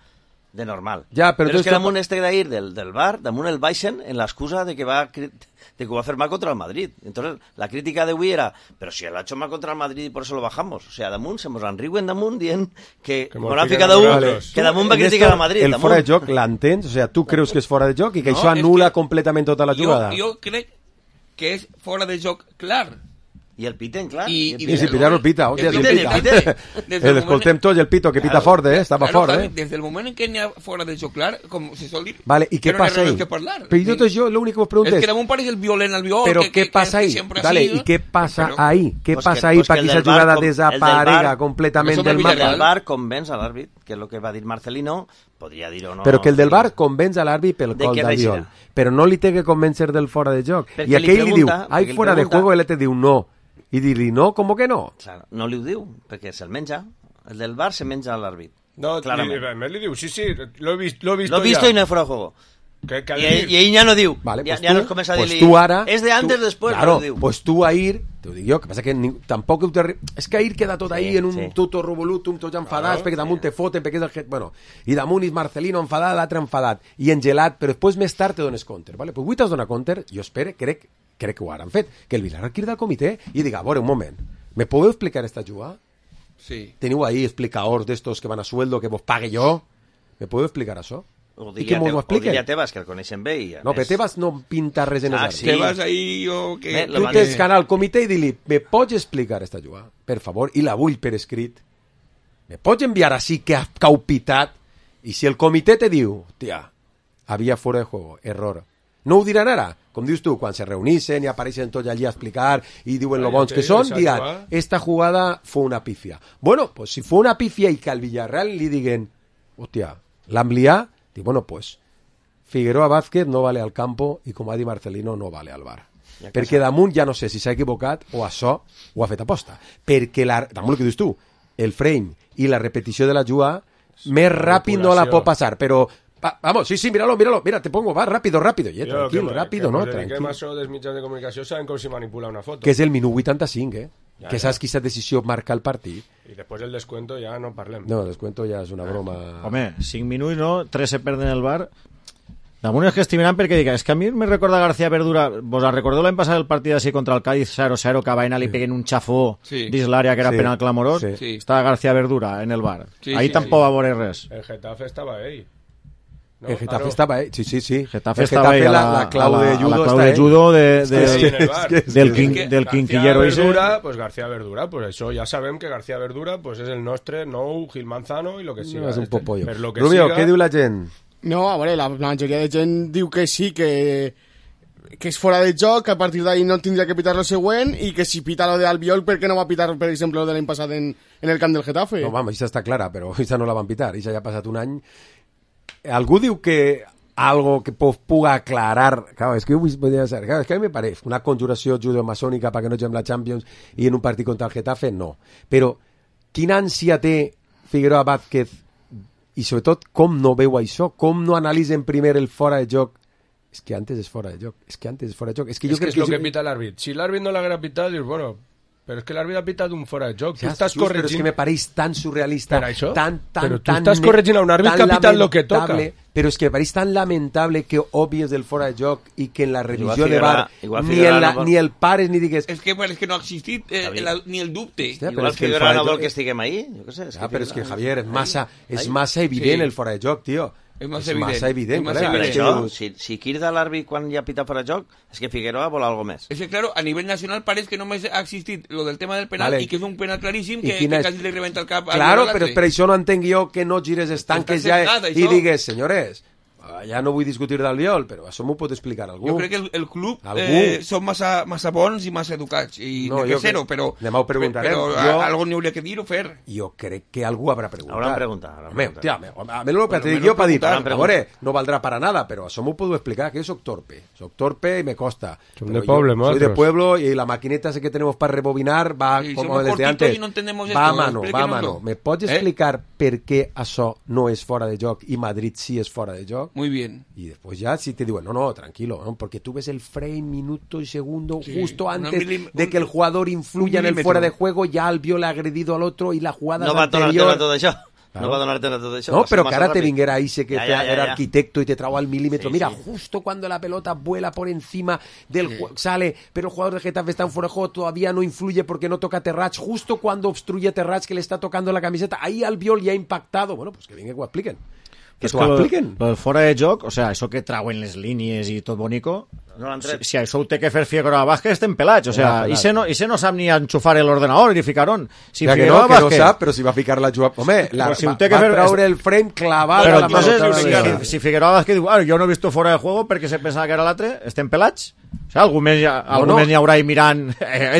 Speaker 11: De normal.
Speaker 4: Ja, però
Speaker 11: és que damunt d'ahir del VAR, damunt el baixen en l'excusa de que ho va fer mal contra el Madrid. Entonces, la crítica d'avui era, però si l'ha hecho mal contra el Madrid i por eso lo bajamos. O sea, damunt se mos enriuen damunt dient que m'ha ficat que damunt va criticar al Madrid.
Speaker 4: El fora de joc l'entens? O sea, tu creus que és fora de joc i que això anula completament tota la jugada?
Speaker 14: Jo crec que és fora de joc clar.
Speaker 11: I el piten, clar.
Speaker 4: I si pitar el pita, hòstia, si pita. L'escoltem tots, el pito, que pita fort, estava fort,
Speaker 14: Des del moment en què n'hi ha fora de joc clar, com se sol dir,
Speaker 4: vale, ¿y qué pasa ahí? Pero yo lo único que os pregunto
Speaker 14: es que damunt pareix el violent al viol.
Speaker 4: Pero ¿qué pasa ahí? Dale, ¿y qué pasa ahí? ¿Qué pasa ahí para que esa jugada desaparega completamente del mapa?
Speaker 11: El del VAR convenç a l'àrbit, que és el que va dir Marcelino, podria dir o no...
Speaker 4: Però que el del VAR convenç a l'àrbit pel gol d'Albiol, però no li té que convèncer del fora de joc. I aquell li diu, hay fuera de juego, i ell te diu no. I dir-li no, com que no?
Speaker 11: Claro, no li ho diu, perquè se'l menja. El del VAR se menja a l'àrbit.
Speaker 10: No, clarament li diu, sí, lo he visto
Speaker 11: y no es fuera de juego. I ell ja no diu.
Speaker 4: Vale,
Speaker 11: pues ja no es comença a dir-li... És de antes, después,
Speaker 4: claro,
Speaker 11: no diu.
Speaker 4: Pues tu ahir, te ho dic jo, que passa que tampoc... És que ahir queda tot ahir en un tuto revolutum, tots enfadats, perquè damunt te foten, perquè és el... Bueno, i damunt és Marcelino enfadat, l'altre enfadat, i engelat, però després més tard te dones compte, vale? Pues avui t'has donat compte, jo espero, crec que ho han fet, que el Villarreal crida al comitè i diga, a veure, un moment, ¿me podeu explicar esta jugada?
Speaker 14: Sí.
Speaker 4: Teniu ahí explicadors d'estos que van a sueldo, que vos pague jo? ¿Me podeu explicar això? I que mos ho expliquen.
Speaker 11: O diria Tebas, que el coneixen bé.
Speaker 4: No, però Tebas no pinta res en els arbres.
Speaker 14: Tebas ahí o que...
Speaker 4: Tu tens que anar al comitè i dir-li, ¿me pots explicar esta jugada? Per favor, i la vull per escrit. ¿Me pots enviar així que has caupitat? I si el comitè te diu, tia, havia fora de juego, error. No ho diran ara, com dius tu, quan se reunixen i apareixen tots allí a explicar i diuen lo bons que són, diran, esta jugada fue una pifia. Bueno, pues si fue una pifia i que al Villarreal li diguen, hòstia, l'han liat, dic, bueno, pues Figueroa Vázquez no vale al campo i com ha dit Marcelino no vale al bar. Perquè damunt ja no sé si s'ha equivocat o això ho ha fet aposta. Perquè damunt el que dius tu, el frame i la repetició de la jugada més ràpid no la pot passar, però Vamos, sí, míralo. Mira, te pongo, va, rápido. Tranquil, rápido, no? Tranquil.
Speaker 10: Que això dels mitjans de comunicació saben com si manipula una foto.
Speaker 4: Que és el minut 85, que saps quina decisió marca el partit.
Speaker 10: I després el descuento ja no parlem.
Speaker 4: No, el descuento ja és una broma.
Speaker 13: Home, 5 minuts, no? 3 se perden el bar. Damunt és que estic mirant perquè dic, és que a mi me recorda García Verdura. Vos recordeu l'any passat el partit així contra el Cádiz 0-0, que a Baena li peguen un xafó dins l'àrea que era penal clamorós?
Speaker 10: Sí.
Speaker 13: Estava García Verdura en el bar. Ahí tampoc va veure res.
Speaker 10: El Getafe estava ell.
Speaker 4: No, el Getafe estava ell, sí.
Speaker 13: Getafe estava ell,
Speaker 4: la clau de judo,
Speaker 13: la clau de judo del quinquillero ese.
Speaker 10: Pues García Verdura, pues això ja sabem que García Verdura pues és el nostre nou Gil Manzano i lo que siga.
Speaker 4: No, és un popollo.
Speaker 10: Rubio,
Speaker 4: què diu la gent?
Speaker 12: No, a veure, la majoria de gent diu que sí, que és fora de joc, que a partir d'ahí no tindria que pitar lo següent i que si pita lo de Albiol, per què no va pitar, per exemple, lo de l'any passat en el camp del Getafe?
Speaker 4: No, vamos, això està clara, però això no la van pitar, això ja ha passat un any. Algú diu que algo que puga aclarar, claro, es que yo podría ser, claro, es que a mí me parece una conjuració judo-masònica para que no juguem la Champions i en un partit contra el Getafe, no. Però quina ànsia té Figueroa Vázquez i sobretot com no veu això, com no analitzen primer el fora de joc. És que antes és fora de joc, és que
Speaker 10: és lo que pita l'àrbit. Si l'àrbit no l'haguera pitat, dius, bueno, però és que l'àrbit ha pitat un fora de joc.
Speaker 4: Ja, tu estàs corregint... Però és que me pareix tan surrealista,
Speaker 10: però tu estàs corregint a un àrbit que ha pitat lo que toca.
Speaker 4: Però és que me pareix tan lamentable que obvies del fora de joc i que en la revisió de VAR ni el pares ni digues...
Speaker 14: És que no ha existit ni el dubte.
Speaker 11: Igual Figueroa no vol que estiguem ahí.
Speaker 4: Però és que, Javier, és massa evident el fora de joc, tio.
Speaker 14: És massa
Speaker 4: evident.
Speaker 11: Si crida l'àrbit quan ja pita fora de joc, és que Figueroa vol algo més.
Speaker 14: És que, claro, a nivell nacional pareix que només ha existit lo del tema del penal i que és un penal claríssim que quasi li rebenta el cap.
Speaker 4: Claro, però per això no entenc jo que no gires estanques ja i digues, senyores, ja no vull discutir d'Albiol, però això m'ho pot explicar algú.
Speaker 14: Jo crec que el club són massa bons i massa educats, i no que zero, però algo n'hi hauria que dir o fer.
Speaker 4: Jo crec que algú haurà preguntat.
Speaker 11: Hauran preguntat.
Speaker 4: A mi el que te dic jo per dir, a veure, no valdrà para nada, però això m'ho puedo explicar, que yo soy torpe y me costa.
Speaker 10: Soy de
Speaker 4: pueblo y la maquineta que tenemos para rebobinar va como desde antes. Va a mano. ¿Me pots explicar per què això no és fora de joc i Madrid sí és fora de joc?
Speaker 14: Muy bien.
Speaker 4: Y después ya si te digo, no, tranquilo, ¿no? Porque tú ves el frame, minuto y segundo, justo antes de que el jugador influya en el fuera de juego, ya Albiol ha agredido al otro y la jugada anterior...
Speaker 11: No va a todo això. Claro. No va a donarte nada de eso.
Speaker 4: No, pero que ahora te vinguera ahí, sé que era arquitecto y te trajo al milímetro. Mira, justo cuando la pelota vuela por encima del sale, pero el jugador de Getafe está en fuera de juego, todavía no influye porque no toca Terrats. Justo cuando obstruye Terrats, que le está tocando la camiseta, ahí Albiol ya ha impactado. Bueno, pues que vinga que ho expliquen. Que t'ho expliquen.
Speaker 13: Lo del fora de joc, o sea, això que trauen les línies i tot bonico, si això ho té que fer Figueroa Vázquez estem pelats, o sea, i se no sap ni enxufar l'ordenador ni ficar on.
Speaker 4: Si Figueroa Vázquez... Que no sap, però si va ficar la jugada... Home, va traure el frame clavat a la
Speaker 13: pelota. Si Figueroa Vázquez diu, jo no he visto fora de juego perquè se pensava que era l'altre, estem pelats? O sea, algú més n'hi haurà ahí mirant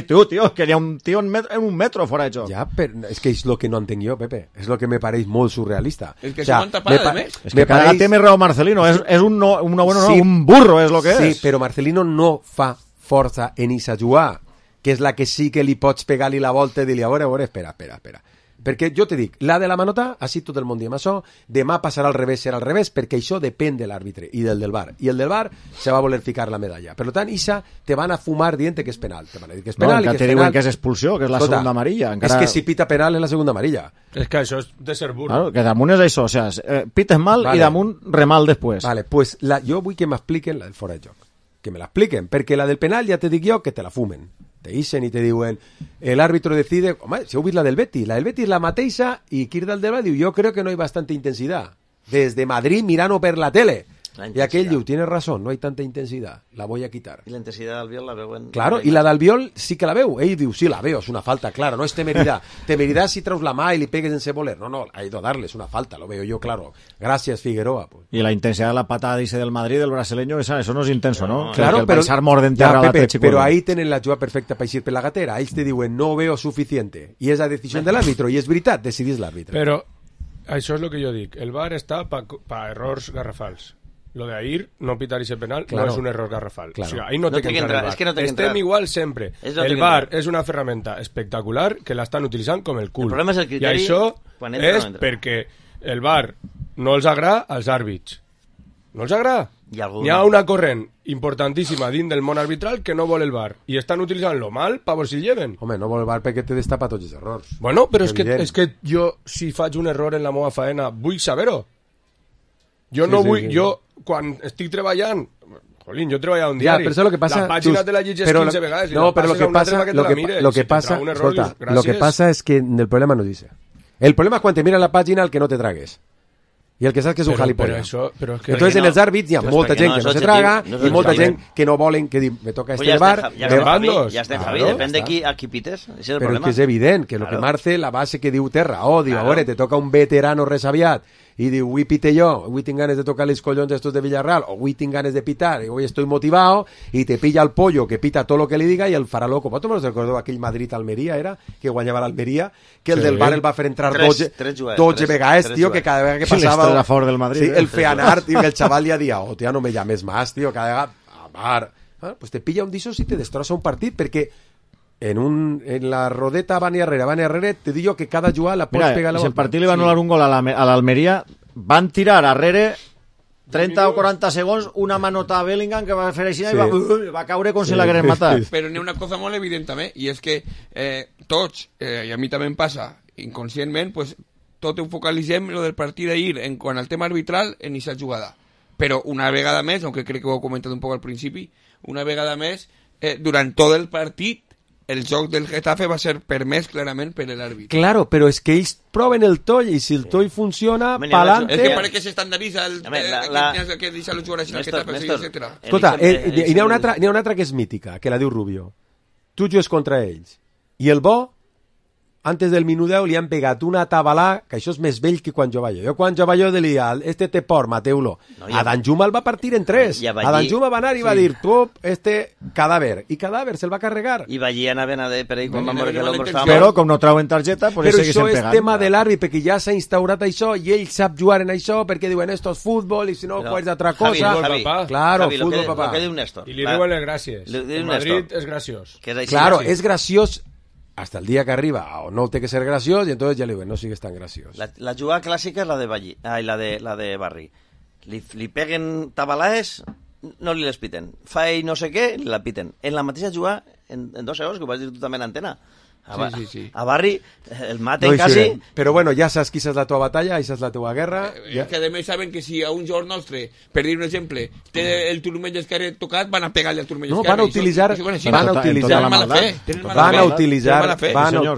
Speaker 13: tio, que hi ha un tio en un metro fora de joc.
Speaker 4: Ja, però és que és lo que no entenc jo, Pepe. És lo que me pareix molt surrealista.
Speaker 14: El que se monta para, més.
Speaker 13: És que cada té més raó Marcelino. És un burro, és lo que és.
Speaker 4: Sí, però Marcelino no fa força en esa jugada, que és la que sí que li pots pegar-li la volta i dir-li, a veure, espera. Perquè jo te dic, la de la manota, així tot el món diem això, demà passarà al revés, serà al revés, perquè això depèn de l'àrbitre i del VAR. I el del VAR se va voler ficar la medalla. Per tant, Isa te van a fumar dient que és penal. Te van a dir que és penal i que és penal.
Speaker 13: Te diuen que és expulsió, que és la segunda amarilla.
Speaker 4: És que si pita penal és la segunda amarilla.
Speaker 10: És que això és de ser burro.
Speaker 13: Claro, que damunt és això, o sea, pites mal i damunt remal després.
Speaker 4: Vale, pues jo vull que m'expliquen la del fora de joc. Que me la expliquen, perquè la del penal ja te dic jo que te la fumen. Te dicen y te diuen, el árbitro decide, home, si heu vist la del Betis és la mateixa i Kirdal del diu, yo creo que no hay bastante intensidad. Desde Madrid mirando per la tele. Y aquell diu, tienes razón, no hay tanta intensidad, la voy a quitar.
Speaker 11: Y la intensidad de Albiol la veuen...
Speaker 4: Claro, y la d'Albiol sí que la veu. Ell diu, sí, la veo, es una falta, claro, no es temeridad. Temeridad si traus la mà y le pegues en voler. No, ha ido a darle, es una falta, lo veo yo, claro. Gracias, Figueroa. Pues.
Speaker 13: Y la intensidad de la patada, dice, del Madrid, del brasileño, eso no es intenso, ¿no?
Speaker 4: Claro,
Speaker 13: pero... Pensar mort
Speaker 4: ja, Pepe, pero ahí tenen la jugada perfecta para ir per la gatera. Ells te diuen, no veo suficiente. Y es la decisión del árbitro, y es veritat, decidís l'àrbitre.
Speaker 10: Però això és el que jo dic. El VAR està pa errors garrafals. Lo de Air no pitar ese penal no es un error garrafal.
Speaker 4: Claro.
Speaker 10: O sea, ahí no té que entrar el VAR.
Speaker 11: Es que no
Speaker 10: estem igual sempre. El VAR és una ferramenta espectacular que l'estan utilitzant com el cul.
Speaker 11: El problema és el criteri...
Speaker 10: I això és perquè el VAR no els agrada als àrbits No els agrada? N'hi ha una corrent importantíssima dins del món arbitral que no vol el VAR i estan utilitzant-lo mal per veure si el lleven.
Speaker 4: Home, no vol el VAR perquè te destapa tots els errors.
Speaker 10: Bueno, però és que jo, si faig un error en la meva faena, vull saber-ho. Jo no vull... Jo, quan estic treballant... Jolín, jo treballava un diari.
Speaker 4: Però lo que pasa,
Speaker 10: la pàgina te la llegeix 15 vegades i la passes a una altra que te la mire.
Speaker 4: Lo que pasa es que el problema no dice. El problema es cuando te mira la página el que no te tragues. I el que saps que és un gilipollas. Entonces en els àrbits hi ha molta gent que no se traga i molta gent que no volen, que diu, me toca este bar...
Speaker 11: Ja està, Javi, depèn de qui pites.
Speaker 4: Però és que és evident que el que Marce, la base que diu té raó, diu, a veure, te toca un veterano resabiat y digo, avui pite yo, avui tinc ganes de tocar les collons estos de Villarreal, o avui tinc ganes de pitar, y hoy estoy motivado, y te pilla el pollo que pita todo lo que le diga y el farà loco. ¿Vosotros me recordeu aquell Madrid-Almeria, era? Que guanyava l'Almeria, que el del bar el va fer entrar 12 vegades, tío, que cada vegada que passava...
Speaker 13: a favor del Madrid.
Speaker 4: Sí, el feanar, tío, que el chaval ya dia, oh, tía, no me llames más, tío, cada vegada... A bar... Pues te pilla un disos y te destroza un partit, perquè en la rodeta Bani Herrera te digo que cada jugada la pots pegar a la
Speaker 13: si el partit li va anul·lar un gol a l'Almeria, van tirar arrere 30 o 40 segons una manota a Bellingham que va fer així i va caure com si l'hagueren matat.
Speaker 14: Però n'hi ha una cosa molt evident també, i és que tots, i a mi també em passa inconscientment, pues, tot ho focalitzem lo del partit d'ahir en quant al tema arbitral en aquesta jugada. Però una vegada més, aunque crec que ho he comentat un poc al principi, una vegada més, durant tot el partit el joc del Getafe va ser permès clarament per l'àrbit.
Speaker 4: Claro, però és que ells proven el toll i si el toll funciona, pa'lante...
Speaker 14: És que parece que s'estandarditza que deixa los jugadors al Getafe, etc.
Speaker 4: Escolta, n'hi ha una altra que és mítica, que la diu Rubio. Tu jugues contra ells. I el bo, antes del minut 10 li han pegat una tabalà, que això és més vell que quan jo vaig. Jo quan jo vaig de l'Ial, este té por, Mateu-lo. A Danjuma el va partir en 3. A Danjuma va anar i va dir, tu, este cadàver. I cadàver se'l va carregar.
Speaker 11: I Vallí anaven a per ahí quan van veure que l'home estava...
Speaker 13: Però com no trauen targeta, pues
Speaker 4: però això és tema de l'àrbit, perquè ja s'ha instaurat això i ell sap jugar en això, perquè diuen, esto és futbol, i si no, juegues d'altra cosa. Claro, futbol, papà.
Speaker 14: I li diuen les gràcies. El Madrid és graciós.
Speaker 4: Claro, és graciós hasta el día que arriba, o no té que ser graciós, y entonces ya le digo, no sigues tan graciós.
Speaker 11: La jugada clàssica és la de Vallí, la de Barri. Li peguen tabalaes, no li les piten. Fa ell no sé què, li la piten. En la mateixa jugada, en 2 segons, que ho vas dir tu també en antena. A Barri el maten quasi.
Speaker 4: Però bueno, ja saps qui és la teva batalla, i és la teva guerra.
Speaker 14: Que a més saben que si a un jugador nostre, per dir un exemple, té el turmell esquerre tocat, van a pegar-li al turmell esquerre.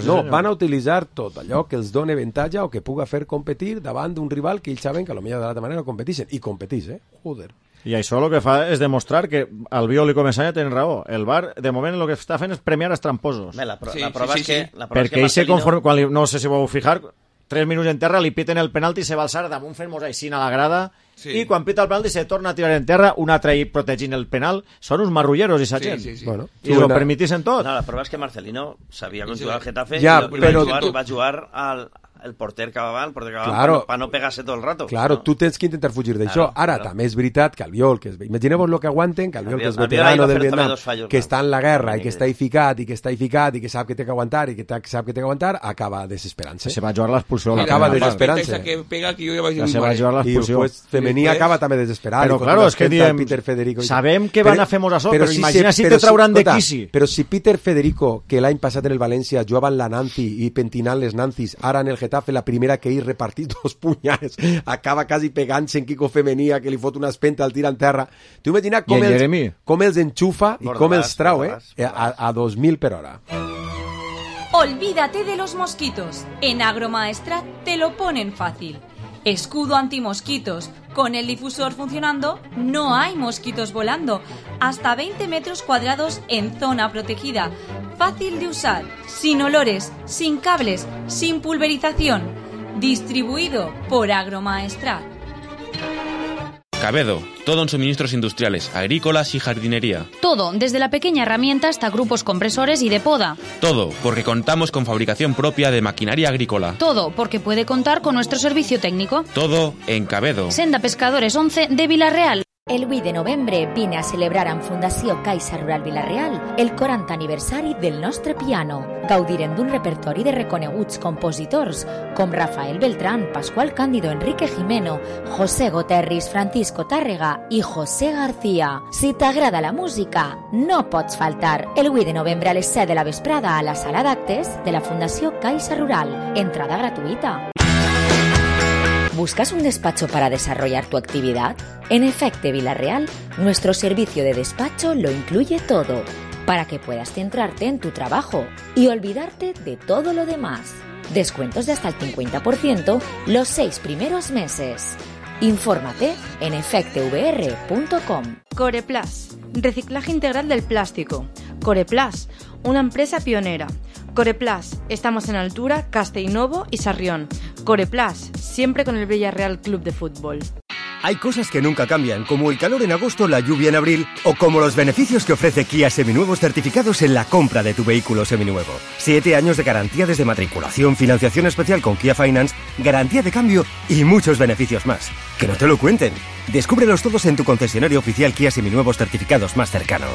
Speaker 4: No, van a utilitzar tot allò que els doni avantatge o que puga fer competir davant d'un rival que ells saben que potser de l'altra manera competeixen. I competís, joder.
Speaker 13: I això el que fa és demostrar que Albiol i Comesaña tenen raó. El VAR, de moment, el que està fent és premiar els tramposos.
Speaker 11: La prova és que...
Speaker 13: Perquè ell se conforma... No sé si vau fijar, 3 minuts en terra, li piten el penalti i se va alçar damunt fent-nos així a la grada i quan pita el penalti se torna a tirar en terra, un altre ahí protegint el penal. Són uns marrulleros, i sa gent.
Speaker 4: Bueno,
Speaker 13: i ho permetissin tot.
Speaker 11: No, la prova és que Marcelino sabia com jugar al Getafe
Speaker 4: i
Speaker 11: va jugar el porter Cababal, para no pegarse todo el rato.
Speaker 4: Claro, tú tens que intentar fugir d'això. Ara, també és veritat que Albiol, imagineu-vos lo que aguanten, que Albiol, que és veterano del Vietnam, que està en la guerra i que està ficat, i que sap que té que aguantar, i que sap que té que aguantar, acaba desesperant-se.
Speaker 13: Se va jugar l'expulsió.
Speaker 4: Acaba desesperant-se.
Speaker 13: Se va jugar l'expulsió.
Speaker 4: I Femení acaba també desesperat.
Speaker 13: Però, claro, és que diem, sabem que van a fer-nos això, però imagina si te trauran de quisi.
Speaker 4: Però si Peter Federico, que l'any passat en el València jugava en la Nancy i pentinant les Nancy's, ara en el Getafe, la primera que ell repartit 2 punyals, acaba quasi pegant-se en Quico Femenia, que li fot una espenta al tir en terra. Tu imagina com els enxufa i com els trau, a 2000 per hora.
Speaker 15: Olvídate de los mosquitos. En Agromaestrat te lo ponen fácil. Escudo antimosquitos. Con el difusor funcionando, no hay mosquitos volando. Hasta 20 metros cuadrados en zona protegida. Fácil de usar, sin olores, sin cables, sin pulverización. Distribuido por Agromaestrat.
Speaker 16: Cabedo, todo en suministros industriales, agrícolas y jardinería.
Speaker 17: Todo, desde la pequeña herramienta hasta grupos compresores y de poda.
Speaker 16: Todo, porque contamos con fabricación propia de maquinaria agrícola.
Speaker 17: Todo, porque puede contar con nuestro servicio técnico.
Speaker 16: Todo en Cabedo.
Speaker 17: Senda Pescadores 11 de Villarreal.
Speaker 18: El 8 de novembre vine a celebrar amb Fundació Caixa Rural Vila-real el 40 aniversari del nostre piano. Gaudirem d'un repertori de reconeguts compositors com Rafael Beltrán, Pascual Cándido, Enrique Jimeno, José Goterris, Francisco Tàrrega i José García. Si t'agrada la música, no pots faltar. El 8 de novembre a les 7 de la vesprada a la sala d'actes de la Fundació Caixa Rural. Entrada gratuïta. ¿Buscas un despacho para desarrollar tu actividad? En Efecte Vila-real, nuestro servicio de despacho lo incluye todo, para que puedas centrarte en tu trabajo y olvidarte de todo lo demás. Descuentos de hasta el 50% los 6 primeros meses. Infórmate en efectevr.com.
Speaker 19: Coreplas, reciclaje integral del plástico. Coreplas, una empresa pionera. Coreplas, estamos en Altura, Castellnovo y Sarrión. Coreplas, siempre con el Villarreal Club de Fútbol.
Speaker 20: Hay cosas que nunca cambian, como el calor en agosto, la lluvia en abril, o como los beneficios que ofrece Kia Seminuevos certificados en la compra de tu vehículo seminuevo. 7 años de garantía desde matriculación, financiación especial con Kia Finance, garantía de cambio y muchos beneficios más. ¡Que no te lo cuenten! Descúbrelos todos en tu concesionario oficial Kia Seminuevos certificados más cercano.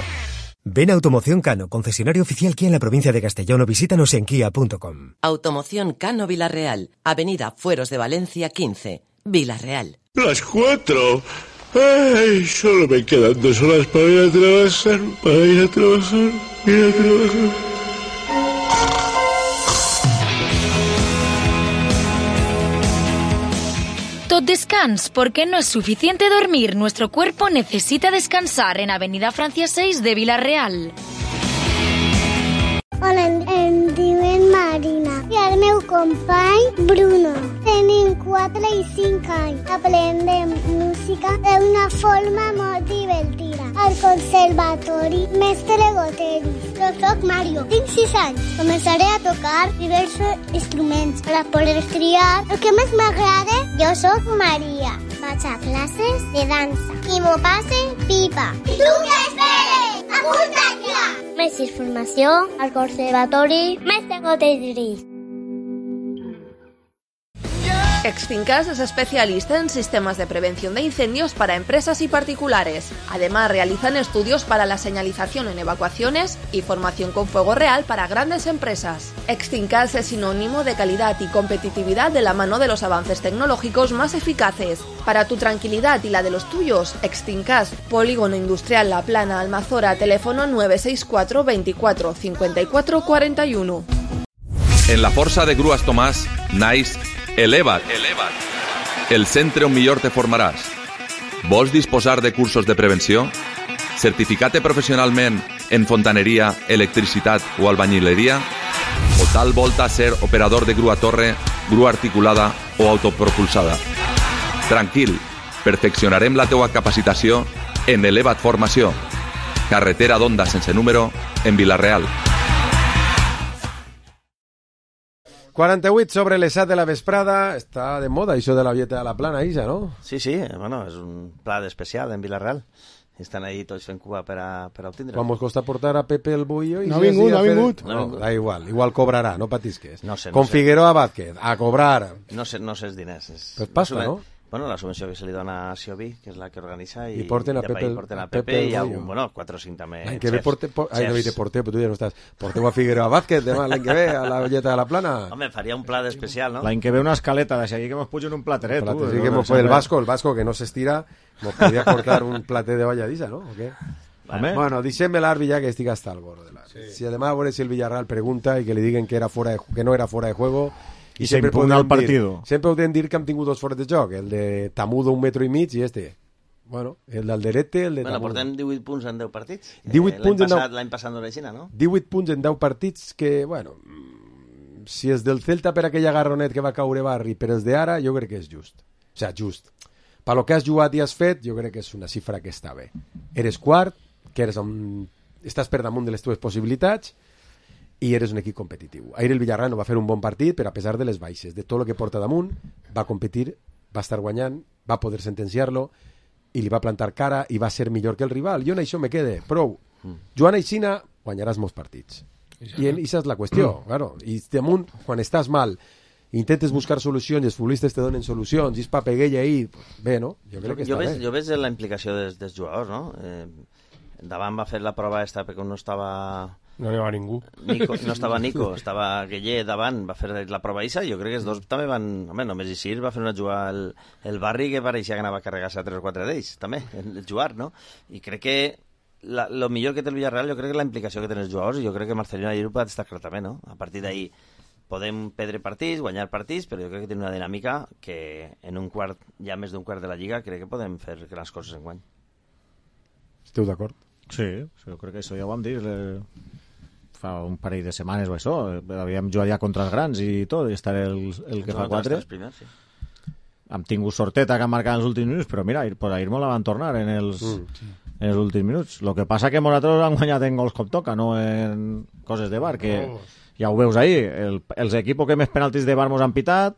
Speaker 20: Ven a Automoción Cano, concesionario oficial Kia en la provincia de Castellón, o visítanos en kia.com.
Speaker 21: Automoción Cano Vila-real, Avenida Fueros de Valencia 15, Vila-real.
Speaker 22: Las 4. Ay, solo me quedan 2 horas para ir a trabajar,
Speaker 17: Tot descans, porque no es suficiente dormir. Nuestro cuerpo necesita descansar en Avenida Francia 6 de Vila-real.
Speaker 23: Hola, em diuen Marina i el meu company Bruno. Tenim 4 i 5 anys. Aprendem música d'una forma molt divertida. Al conservatori Mestre Goteris. Jo soc Mario, tinc 6 anys. Començaré a tocar diversos instruments per poder triar el que més m'agrada. Jo soc Maria. Vaig a classes de dansa. Qui m'ho passe, pipa. Tu què esperes? Apunta't ja! Més informació al Conservatori Mestre Goteris.
Speaker 24: Extincas es especialista en sistemas de prevención de incendios para empresas y particulares. Además, realizan estudios para la señalización en evacuaciones y formación con fuego real para grandes empresas. Extincas es sinónimo de calidad y competitividad de la mano de los avances tecnológicos más eficaces. Para tu tranquilidad y la de los tuyos, Extincas, Polígono Industrial La Plana, Almazora, teléfono 964 24 54 41.
Speaker 25: En la Força de Grues Tomàs, naix Eleva't, el centre on millor te formaràs. Vols disposar de cursos de prevenció? Certificar-te professionalment en fontaneria, electricitat o albañileria? O tal volta ser operador de grua torre, grua articulada o autopropulsada? Tranquil, perfeccionarem la teua capacitació en Eleva't Formació. Carretera d'Onda sense número, en Vila-real.
Speaker 4: 48 sobre les 7 de la vesprada. Està de moda això de la dieta a la plana, Isa, no?
Speaker 11: Sí, sí, bueno, és un plat especial en Vila-real. Estan ahí tots fent cua per a obtindre.
Speaker 4: Quan mos costa portar a Pepe el Bullo...
Speaker 12: No ha vingut.
Speaker 4: No, da igual cobrarà, no patisques.
Speaker 11: No sé,
Speaker 4: Con Figueroa Vázquez, a cobrar.
Speaker 11: No sé els diners.
Speaker 4: Pues pasta, no?
Speaker 11: Bueno, la subvenció que se li dona a Siobi, que és la que organitza, i
Speaker 4: porten a Pepe
Speaker 11: i a un, bueno, 4 o 5 també.
Speaker 4: L'any que ve porteu, però tu ja no estàs. Porteu a Figueroa Vázquez demà l'any que ve a la Velleta de la Plana.
Speaker 11: Home, faria un plat especial, no?
Speaker 13: L'any que ve una escaleta de seguir que mos pugen un plateret.
Speaker 4: Sí, que el Vasco que no s'estira, mos podria portar un platet de balladissa, ¿no? ¿O qué? Bueno, deixem l'Arbi ja que estic hasta el gorro de l'Arbi. Si además a veure si el Villarreal pregunta i que li diguen que no era fuera de juego.
Speaker 13: I se impugna el partido.
Speaker 4: Sempre podem dir que hem tingut 2 fores de joc, el de Tamudo 1,5 metres i este. Bueno, el d'Alderete, el de Tamudo.
Speaker 11: Portem 18 punts en 10 partits.
Speaker 4: 18 punts
Speaker 11: l'any passat no era així, no?
Speaker 4: 18 punts en 10 partits que, bueno, si és del Celta per aquella garronet que va caure Barri, però és d'ara, jo crec que és just. O sigui, just. Per lo que has jugat i has fet, jo crec que és una xifra que està bé. Eres quart, que estàs per damunt de les teves possibilitats, i eres un equip competitiu. Ahir el Villarreal no va fer un bon partit, però a pesar de les baixes, de tot el que porta damunt, va competir, va estar guanyant, va poder sentenciar-lo, i li va plantar cara, i va ser millor que el rival. Jo en això me quede prou. Joan Aixina, guanyaràs molts partits. I això és la qüestió, claro. I damunt, quan estàs mal, intentes buscar solucions i els futbolistes te donen solucions i és papeguella ahí, bé, no? Jo crec que està bé.
Speaker 11: Jo veig la implicació dels jugadors, no? Davant va fer la prova esta perquè no estava...
Speaker 10: No n'hi va ningú.
Speaker 11: No estava Nico, estava Guillé davant, va fer la prova Isa, jo crec que els dos també van... Home, només Isir va fer una jugada el Barri que pareixia que anava a carregar-se a 3 o 4 d'ells, també, el jugar, no? I crec que lo millor que té el Villarreal, jo crec que la implicació que tenen els jugadors, i jo crec que Marcelino ahir ho va destacar també, no? A partir d'ahir podem perdre partits, guanyar partits, però jo crec que té una dinàmica que en un quart, ja més d'un quart de la Lliga, crec que podem fer grans coses en guany.
Speaker 4: Esteu d'acord?
Speaker 13: Sí, jo crec que això ja ho vam dir fa un parell de setmanes o això, havíem jugat ja contra els grans i tot, i estar el que fa 4.
Speaker 11: Sí.
Speaker 13: Hem tingut sorteta que han marcat els últims minuts, però mira, per ahir molt la van tornar en els últims minuts. El que passa que nosaltres han guanyat en gols com toca, no en coses de bar, que ja ho veus ahir, els equipos que més penaltis de bar mos han pitat,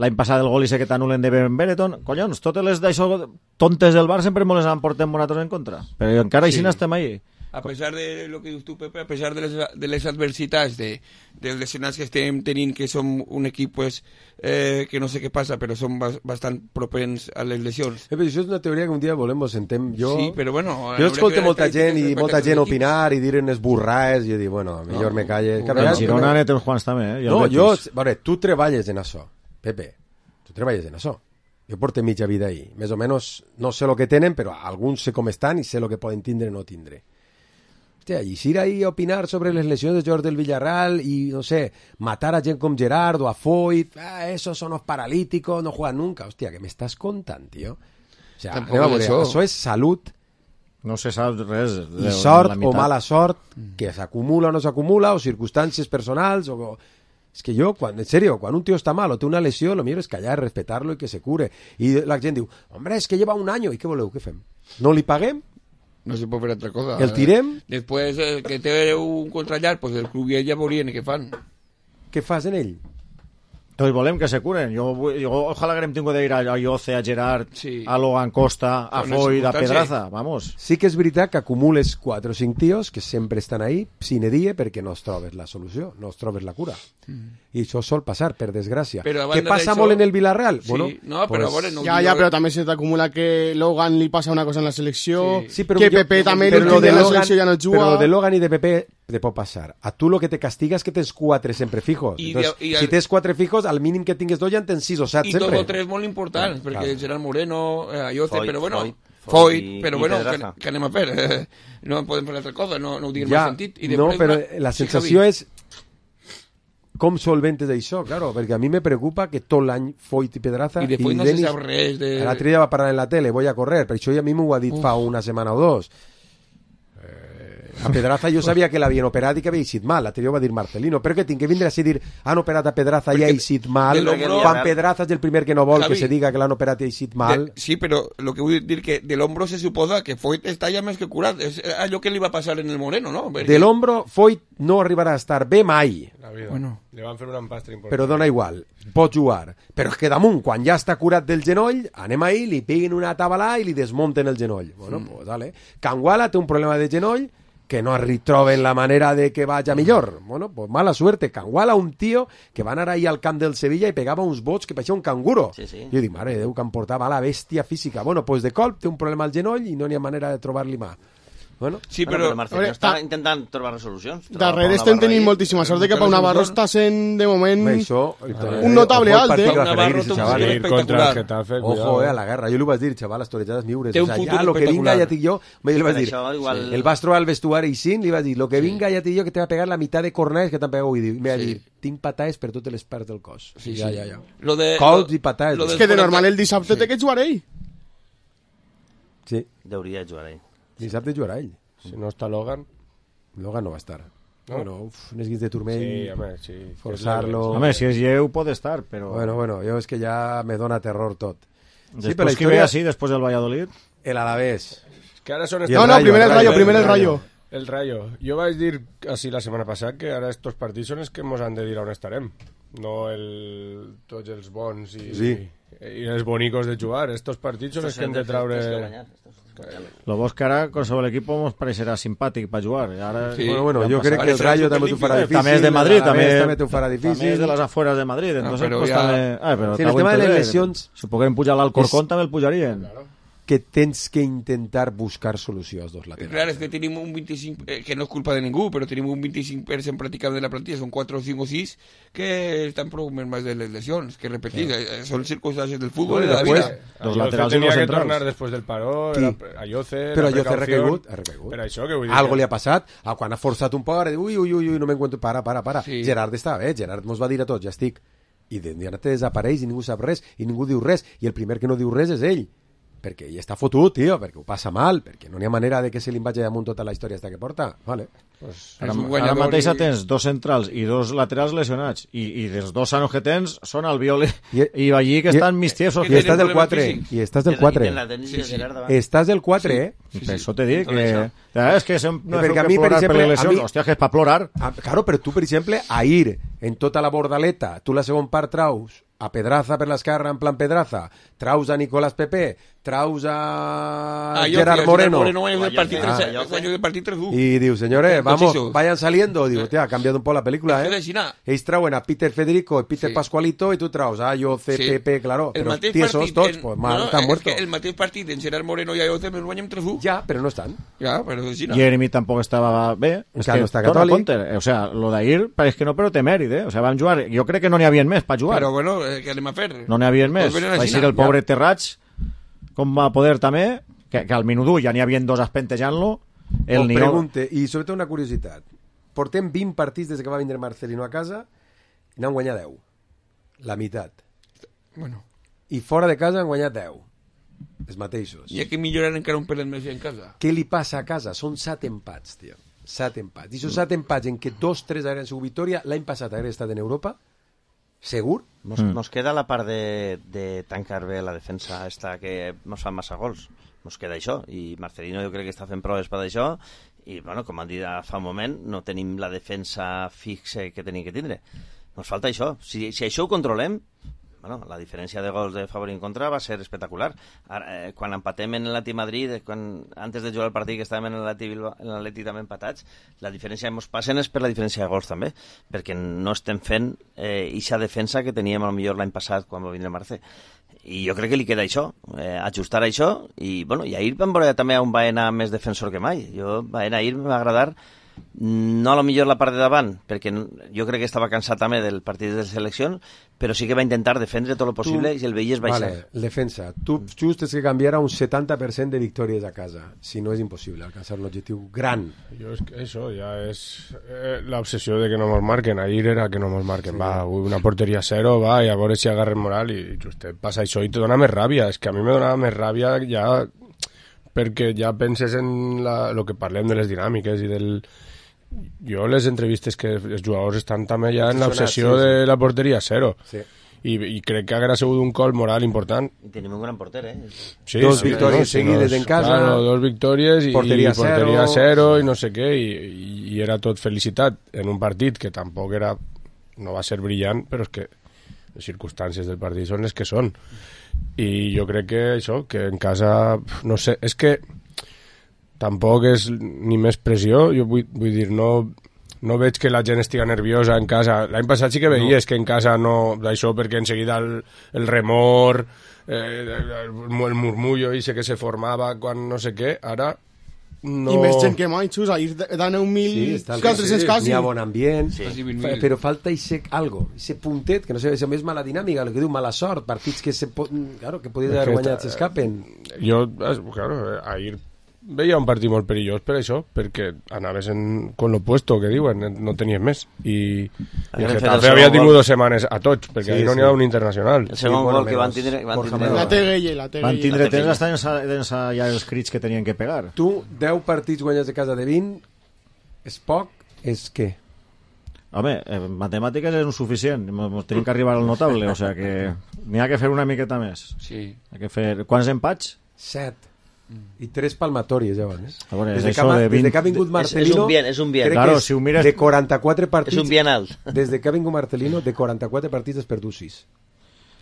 Speaker 13: l'any passat el gol i sé que t'anulen de Ben Bereton, collons, totes les d'això tontes del bar sempre mos les han portat nosaltres en contra, però encara així n'estem ahí.
Speaker 14: A pesar de lo que dius tu, Pepe, a pesar de les adversitats, dels lesionats que estem tenint, que som un equip pues, que no sé què passa, però som bastant propens a les lesions.
Speaker 4: Però això és una teoria que un dia volem vos sentem.
Speaker 14: Sí, però bueno...
Speaker 4: Jo escolto molta gent i molta gent opinar i dir unes burraes i jo dic, bueno, millor me calle.
Speaker 13: El Girona net els Juans també,
Speaker 4: No, jo... Veure, tu treballes en això, Pepe. Tu treballes en això. Jo porto mitja vida ahí. Més o menys no sé el que tenen, però alguns sé com estan i sé el que poden tindre o no tindre. Hòstia, i ir ahí a opinar sobre les lesions de jugadors del Villarreal i, no sé, matar a gent com Gerard o a Foyt, esos son los paralíticos, no juegan nunca. Hòstia, què m'estàs contant, tio? O sea, això és salut.
Speaker 13: No se sap res.
Speaker 4: I sort o mala sort, que s'acumula o no s'acumula, o circumstàncies personals, o... És que jo, en serio, quan un tío està mal o té una lesió, lo millor és callar, respetar-lo i que se cure. I la gent diu, hombre, es que lleva un año, i què voleu, què fem? No li paguem?
Speaker 14: No se puede hacer otra cosa.
Speaker 4: ¿El tirem?
Speaker 14: Después que té un contrallar, pues el club ja veurien què fan.
Speaker 4: Què fas en ell?
Speaker 13: Doncs volem que se curen. Jo ojalà que hem tingut d'ir a Lloce, a Gerard, a Logan Costa, a Foyt, a Pedraza, vamos.
Speaker 4: Sí que és veritat que acumules 4 o 5 tios que sempre estan ahí, sine die, perquè no es trobes la solució, no es trobes la cura. I això sol passar, per desgràcia. Què passa molt en el Villarreal?
Speaker 14: Sí, bueno, no, però pues... no
Speaker 12: però també se t'acumula que Logan li passa una cosa en la selecció,
Speaker 4: sí,
Speaker 12: que Pepe també l'últim de la selecció ja no juga.
Speaker 4: Però de Logan i de Pepe te pot passar. A tu lo que te castiga és que tens 4 sempre fijos. Entonces, si tens 4 fijos, al mínim que tingues 2 ja en tens 6 o 7 sempre.
Speaker 14: I 2 o 3 molt importants, perquè Gerard Moreno, Lloce, però bueno... Foyt, però bueno, que anem a fer? No podem fer altra cosa, no ho diguem en sentit.
Speaker 4: No, però la sensació és com solventes això, claro, perquè a mi me preocupa que tot l'any Foyt i Pedraza
Speaker 14: i de Foyt no se sap res de...
Speaker 4: L'altre dia va parlar en la tele, voy a correr, per això ja a mi m'ho ha dit fa una setmana o 2. A Pedraza jo sabia que l'havien operat i que havia eixit mal, l'altre dia ho va dir Marcelino, però que tinc que vindre a dir han operat a Pedraza i ha eixit mal, quan Pedraza és el primer que no vol que se diga que l'han operat i ha eixit mal.
Speaker 14: Sí, però lo que vull dir que de l'hombro se suposa que Foyt està ja més que curat, és allò que li va passar en el Moreno, no? Perquè...
Speaker 4: De l'hombro Foyt no arribarà a estar bé mai.
Speaker 10: Bueno. Li van fer un empastre important.
Speaker 4: Però dona igual, pot jugar. Però és que damunt, quan ja està curat del genoll, anem ahí, li piguin una tabalà i li desmunten el genoll. Bueno, pues dale. Canguala té un problema de genoll que no troben la manera de que vaya millor. Bueno, pues mala suerte. Canguala, un tío que va anar ahí al camp del Sevilla i pegava uns bots que pareixia un canguro.
Speaker 11: Sí, sí.
Speaker 4: Jo dic, mare de Déu, que em portava la bèstia física. Bueno, pues de colp té un problema al genoll i no n'hi ha manera de trobar-li mà. Bueno,
Speaker 11: sí, però Marcelino està intentant trobar resolucions.
Speaker 12: Darrere estem tenint moltíssima sort de que Pau Navarro està sent, de moment, un notable alt,
Speaker 14: Pau Navarro té un partit espectacular.
Speaker 4: Ojo, a la guerra. Jo li vaig dir, xaval, les torejades miures. O sea, ya lo que vinga ya te yo, li vaig dir. El vas trobar al vestuari i sin, li vaig dir, lo que vinga ja te yo que te va pegar la mitad de cornades que t'han pegat avui. Me va dir, tinc patades per totes les parts del cos. Ja. Colps i patades.
Speaker 12: És que de normal el dissabte té que jugar ell.
Speaker 4: Sí.
Speaker 11: Deuria jugar ell.
Speaker 4: Dissabte jugarà ell.
Speaker 10: Si no està Logan
Speaker 4: no va estar. No? Bueno, unes guins de turmell,
Speaker 10: sí, home, sí.
Speaker 4: Forçar-lo...
Speaker 13: Home, si és lleu pot estar, però...
Speaker 4: Bueno, jo és que ja me dona terror tot.
Speaker 13: Després sí, qui ve així, després del Valladolid?
Speaker 4: El Alavés.
Speaker 10: És que ara són...
Speaker 12: No, primer el Rayo.
Speaker 10: El Rayo. Jo vaig dir així la setmana passada que ara estos partits són els que ens han de dir on estarem. No tots els bons i...
Speaker 4: Sí.
Speaker 10: i els bonicos de jugar. Estos partits són els que hem de traure...
Speaker 13: Lo bo és que ara qualsevol equip ens pareixerà simpàtic per jugar. Ara,
Speaker 4: bueno, jo crec que el Rayo també t'ho farà difícil.
Speaker 13: També és de Madrid,
Speaker 4: també t'ho farà difícil.
Speaker 13: També és de les afueras de Madrid. Entonces,
Speaker 4: però
Speaker 13: pues,
Speaker 4: el tema de les lesions...
Speaker 13: Si poguem pujar l'Alcorcón, també el pujarien.
Speaker 4: Que tens que intentar buscar solució als dos laterals.
Speaker 14: Clar, és que tenim un 25, que no és culpa de ningú, però tenim un 25% pràcticament de la plantilla, són 4 o 5 o 6 que estan problemes de les lesions, que repetir, són circunstàncies del futbol i de la vida.
Speaker 10: Los laterals tenia que tornar després del paró, Ayoce,
Speaker 4: però Ayoce ha recaigut.
Speaker 10: Per això que vull dir.
Speaker 4: Algo li ha passat, quan ha forçat un poc, ui, no m'encuentro, para. Sí. Gerard està bé, Gerard mos va dir a tots, ja estic. I de te desapareix i ningú sap res, i ningú diu res, i el primer que no diu res és ell. Perquè ell està fotut, tio, perquè ho passa mal, perquè no hi ha manera de que se li vagi damunt tota la història esta que porta. Vale.
Speaker 13: Pues ara mateix tens 2 centrals i 2 laterals lesionats i dels 2 sanos que tens són Albiol i Ballí que estan mig tiesos.
Speaker 4: I estàs del 4. I estàs del 4. Estàs del 4,
Speaker 13: Per això te dic que... És que no és que plorar per les lesions. Hòstia, que és per plorar.
Speaker 4: Claro, però tu, per exemple, a ir en tota la bordaleta, tu la segon part traus a Pedraza per l'esquerra en plan Pedraza, traus a Nicolás Pepe, traus a Gerard Moreno. Y digo, señores, vamos, vayan saliendo. Digo, ha cambiado un poco la película, Ells trauen a Peter Federico y Peter Pascualito y tu traus a Ayoce, Pepe, claro, però tiesos tots, pues mal, están muertos.
Speaker 14: El mateix partit en Gerard Moreno i Ayoce me'l guanyem 3-1.
Speaker 4: Ja, però no estan.
Speaker 14: Ja, però és així.
Speaker 13: Jeremy tampoc estava bé.
Speaker 4: És que no està catòlic.
Speaker 13: O sea, lo d'ahir pareix que no, però té mèrit, O sea, van jugar, jo crec que no n'hi havia més per jugar.
Speaker 14: Però bueno, què anem a fer?
Speaker 13: No n'hi havia més. Va ser el pobre Terrats, com va poder també, que al minut 1 ja n'hi havia 2 espentejant-lo.
Speaker 4: Pregunte, i sobretot una curiositat. Portem 20 partits des que va vindre Marcelino a casa i n'han guanyat 10. La meitat.
Speaker 14: Bueno.
Speaker 4: I fora de casa han guanyat 10. Els mateixos.
Speaker 14: I que millorar encara un pelet més en casa.
Speaker 4: Què li passa a casa? Són 7 empats, tio. 7 empats. I són 7 empats en què 2-3 hagueren sigut victòria, l'any passat hagueren estat en Europa, segur?
Speaker 11: Nos queda la part de tancar bé la defensa esta que nos fan massa gols. Nos queda això. I Marcelino jo crec que està fent proves per això. I, bueno, com han dit fa un moment, no tenim la defensa fixa que tenim que tindre. Nos falta això. Si això ho controlem, bueno, la diferència de gols de favor en contra va ser espectacular. Ara, quan empatem en l'Atleti Madrid, antes de jugar el partit que estàvem en l'Atleti també empatats, la diferència que ens passen és per la diferència de gols també, perquè no estem fent eixa defensa que teníem a lo millor l'any passat quan va vindre Marce. I jo crec que li queda això, ajustar això, i bueno, i ahir vam veure també un Baena més defensor que mai. Baena ahir m'ha agradat, no a lo millor la part de davant, perquè jo crec que estava cansat també del partit de selecció, però sí que va intentar defendre tot el possible i el veies baixar.
Speaker 4: Vale, defensa. Tu just és que canviarà un 70% de victòries a casa, si no és impossible alcançar un objectiu gran.
Speaker 10: Jo és que això ja és l'obsessió de que no mos marquen. Ahir era que no mos marquen. Sí. Va, una porteria 0, va, i a veure si agarren moral i just passa això i te dona més ràbia. És que a mi me donava més ràbia ja perquè ja penses en lo que parlem de les dinàmiques i del... Jo les entrevistes que els jugadors estan també ja en l'obsessió de la porteria 0 i crec que haguera sigut un col moral important.
Speaker 11: I tenim un gran porter,
Speaker 4: Sí, 2 victòries seguides en casa,
Speaker 10: claro, 2 victòries i porteria 0 i no sé què, i era tot felicitat en un partit que tampoc era, no va ser brillant, però és que les circumstàncies del partit són les que són, i jo crec que això, que en casa no sé, és que tampoc és ni més pressió, jo vull dir, no veig que la gent estigui nerviosa en casa. L'any passat sí que veies que en casa no, d'això perquè en seguida el remor, el murmullo i sé que se formava quan no sé què, ara no...
Speaker 12: I més gent que mai, xus, ahir dan 1.000 400 quasi.
Speaker 4: N'hi ha bon ambient, però falta algo, ese puntet, que no sé, és mala dinàmica, el que diu mala sort, partits que claro, que podien haver guanyat s'escapen.
Speaker 10: Jo, claro, ahir veia un partit molt perillós per això, perquè anaves con lo puesto que diuen, no tenies més, i el Getafe havia tingut 2 setmanes a tots, perquè ahir no n'hi ha un internacional.
Speaker 11: El segon gol que van tindre
Speaker 12: la Teguelle
Speaker 13: van tindre temps estan ja els crits que tenien que pegar.
Speaker 4: Tu, 10 partits guanyats de casa de 20 és poc, és què?
Speaker 13: Home, matemàtiques és insuficient, tenim que arribar al notable, o sea que n'hi ha que fer una miqueta més.
Speaker 14: Sí.
Speaker 13: Hay que fer... Quants empats?
Speaker 4: 7. I 3 palmatòries ja van,
Speaker 13: Veure,
Speaker 4: des de que ha vingut Marcelino
Speaker 11: és un bien.
Speaker 4: Claro, si mires, de 44 partits
Speaker 11: és un bien alt.
Speaker 4: Des de que ha vingut Marcelino, de 44 partits has perdut 6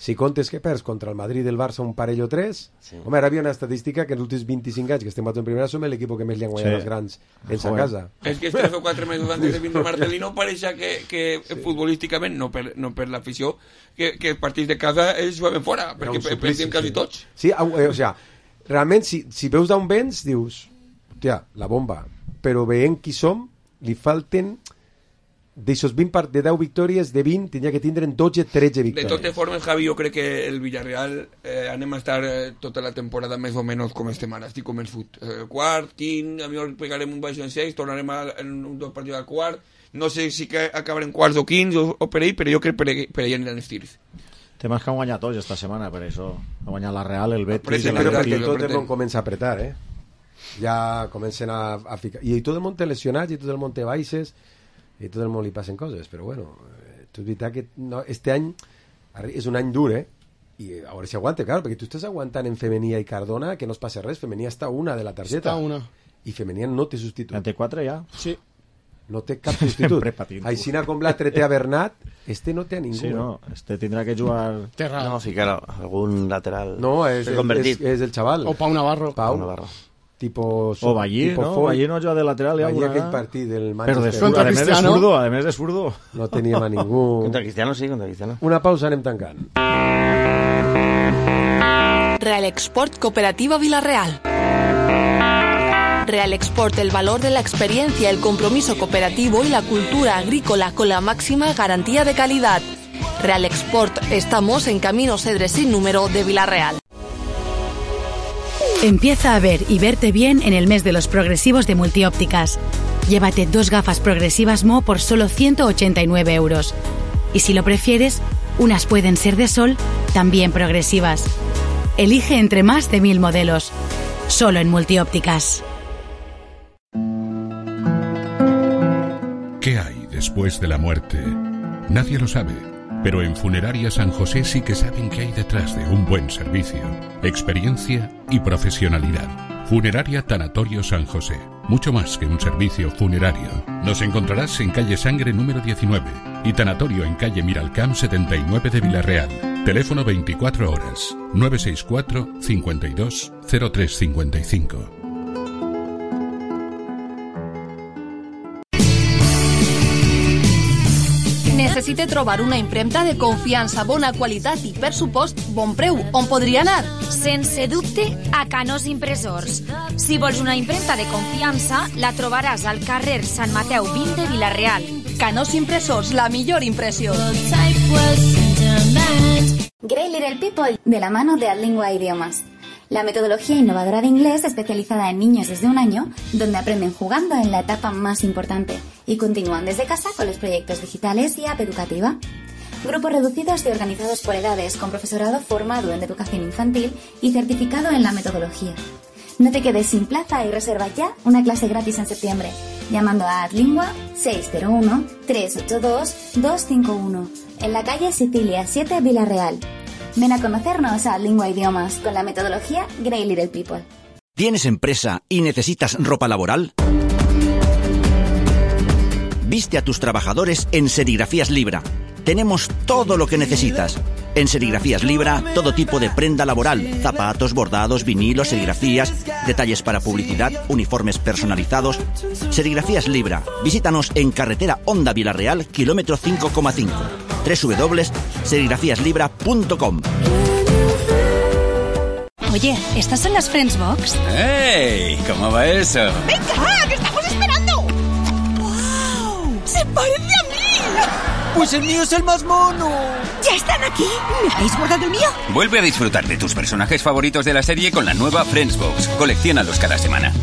Speaker 4: si comptes que perds contra el Madrid i el Barça un parell o 3, home, ara hi havia una estadística que en els últims 25 anys que estem en primera som l'equip que més li han guanyat els grans en sa casa.
Speaker 14: És que 3 o 4 mesos antes de vindre Marcelino pareixia que futbolísticament, no per l'afició, que els partits de casa ells jugaven fora, perquè perdíem quasi tots.
Speaker 4: Sí, o sea, realment, si veus d'on vens, dius, hòstia, la bomba, però veient qui som, li falten... D'aixòs 20 de 10 victòries, de 20 tindria que tindre 12-13 victòries.
Speaker 14: De totes formes, Javi, jo crec que el Villarreal anem a estar tota la temporada més o menys com estem ara, estic convençut. Quart, quint, a mi pegarem un baix en 6, tornarem en un dos partits al quart, no sé si que acabarem quarts o quints o per ell, però jo crec per ell aniran els tirs.
Speaker 13: Temes que han guanyat tots esta setmana, per això. Ha guanyat la Real, el Betis...
Speaker 4: Però perquè tot el món comença a apretar, ja comencen a ficar... I tot el món té lesionats, i tot el món té baixes... i tot el món li passen coses, però bueno, és veritat que no, este any és un any dur, i a veure si aguanta, claro, perquè tu estàs aguantant en Femenia i Cardona que no es passa res, Femenia està una de la targeta i Femenia no té substitut
Speaker 13: 24 ja?
Speaker 12: Sí.
Speaker 4: No té cap substitut. Aixina com l'altre té a Bernat, este no té a ningú.
Speaker 13: Sí, no, este tindrà que jugar...
Speaker 11: No, ficar algun lateral.
Speaker 4: No, és el xaval.
Speaker 12: O Pau Navarro.
Speaker 4: Pau Navarro.
Speaker 13: O Ballí, no? Ballí no juga de lateral ja
Speaker 4: alguna aquell partit del Manchester.
Speaker 13: Contra Cristiano. A més de zurdo.
Speaker 4: No teníem a ningú.
Speaker 11: Contra Cristiano, sí, contra Cristiano.
Speaker 4: Una pausa, anem tancant.
Speaker 24: Real Export Cooperativa Villarreal. Real Export, el valor de la experiencia, el compromiso cooperativo y la cultura agrícola con la máxima garantía de calidad. Real Export, estamos en Camino Cedres sin número de Villarreal.
Speaker 1: Empieza a ver y verte bien en el mes de los progresivos de Multiópticas. Llévate 2 gafas progresivas Mo por solo 189 euros. Y si lo prefieres, unas pueden ser de sol, también progresivas. Elige entre más de 1000 modelos. Solo en Multiópticas.
Speaker 2: ¿Qué hay después de la muerte? Nadie lo sabe. Pero en Funeraria San José sí que saben qué hay detrás de un buen servicio, experiencia y profesionalidad. Funeraria Tanatorio San José. Mucho más que un servicio funerario. Nos encontrarás en calle Sangre número 19 y Tanatorio en calle Miralcamp 79 de Villarreal. Teléfono 24 horas 964 52 0355.
Speaker 24: Necessite trobar una impremta de confiança, bona qualitat i, per supost, bon preu. On podria anar?
Speaker 17: Sense dubte, a Canós Impressors. Si vols una impremta de confiança, la trobaràs al carrer Sant Mateu 20 de Vila-real.
Speaker 24: Canós Impressors, la millor impressió.
Speaker 3: Great Little People, de la mano de Adlingua Idiomas. La metodología innovadora de inglés especializada en niños desde 1 año, donde aprenden jugando en la etapa más importante y continúan desde casa con los proyectos digitales y app educativa. Grupos reducidos y organizados por edades, con profesorado formado en educación infantil y certificado en la metodología. No te quedes sin plaza y reserva ya una clase gratis en septiembre, llamando a Adlingua 601-382-251, en la calle Sicilia 7, Vila-real. Ven a conocernos a Lingua Idiomas con la metodología Great Little People.
Speaker 5: ¿Tienes empresa y necesitas ropa laboral? Viste a tus trabajadores en Serigrafías Libra. Tenemos todo lo que necesitas. En Serigrafías Libra, todo tipo de prenda laboral, zapatos, bordados, vinilos, serigrafías, detalles para publicidad, uniformes personalizados. Serigrafías Libra. Visítanos en carretera Honda Villarreal, kilómetro 5,5. www.serigrafíaslibra.com.
Speaker 1: Oye, ¿estas son las Friends Box?
Speaker 6: ¡Ey! ¿Cómo va eso?
Speaker 26: ¡Venga, que estamos esperando! ¡Wow! ¡Se parece a mí!
Speaker 6: ¡Pues el mío es el más mono!
Speaker 26: ¿Ya están aquí? ¿Me habéis guardado el mío?
Speaker 6: Vuelve a disfrutar de tus personajes favoritos de la serie con la nueva Friends Box. Colecciónalos cada semana.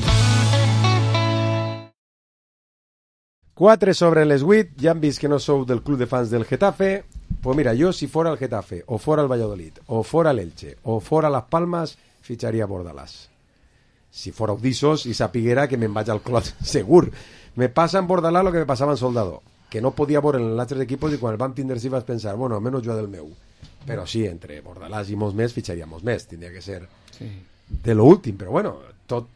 Speaker 4: 4 sobre les 8, ja han vist que no sou del club de fans del Getafe. Pues mira, jo si fora el Getafe, o fora el Valladolid, o fora l'Elche, o fora Las Palmas, fitxaria Bordalàs. Si fora Udissos i sapiguera que me'n vaig al Clot, segur. Me passa en Bordalàs lo que me passava en Soldado, que no podia veure en els altres equipos i quan el vam tindre sí vas pensar, bueno, almenys jo del meu. Però sí, entre Bordalàs i molts més fitxaria molts més, tindria que ser de lo últim, però bueno, tot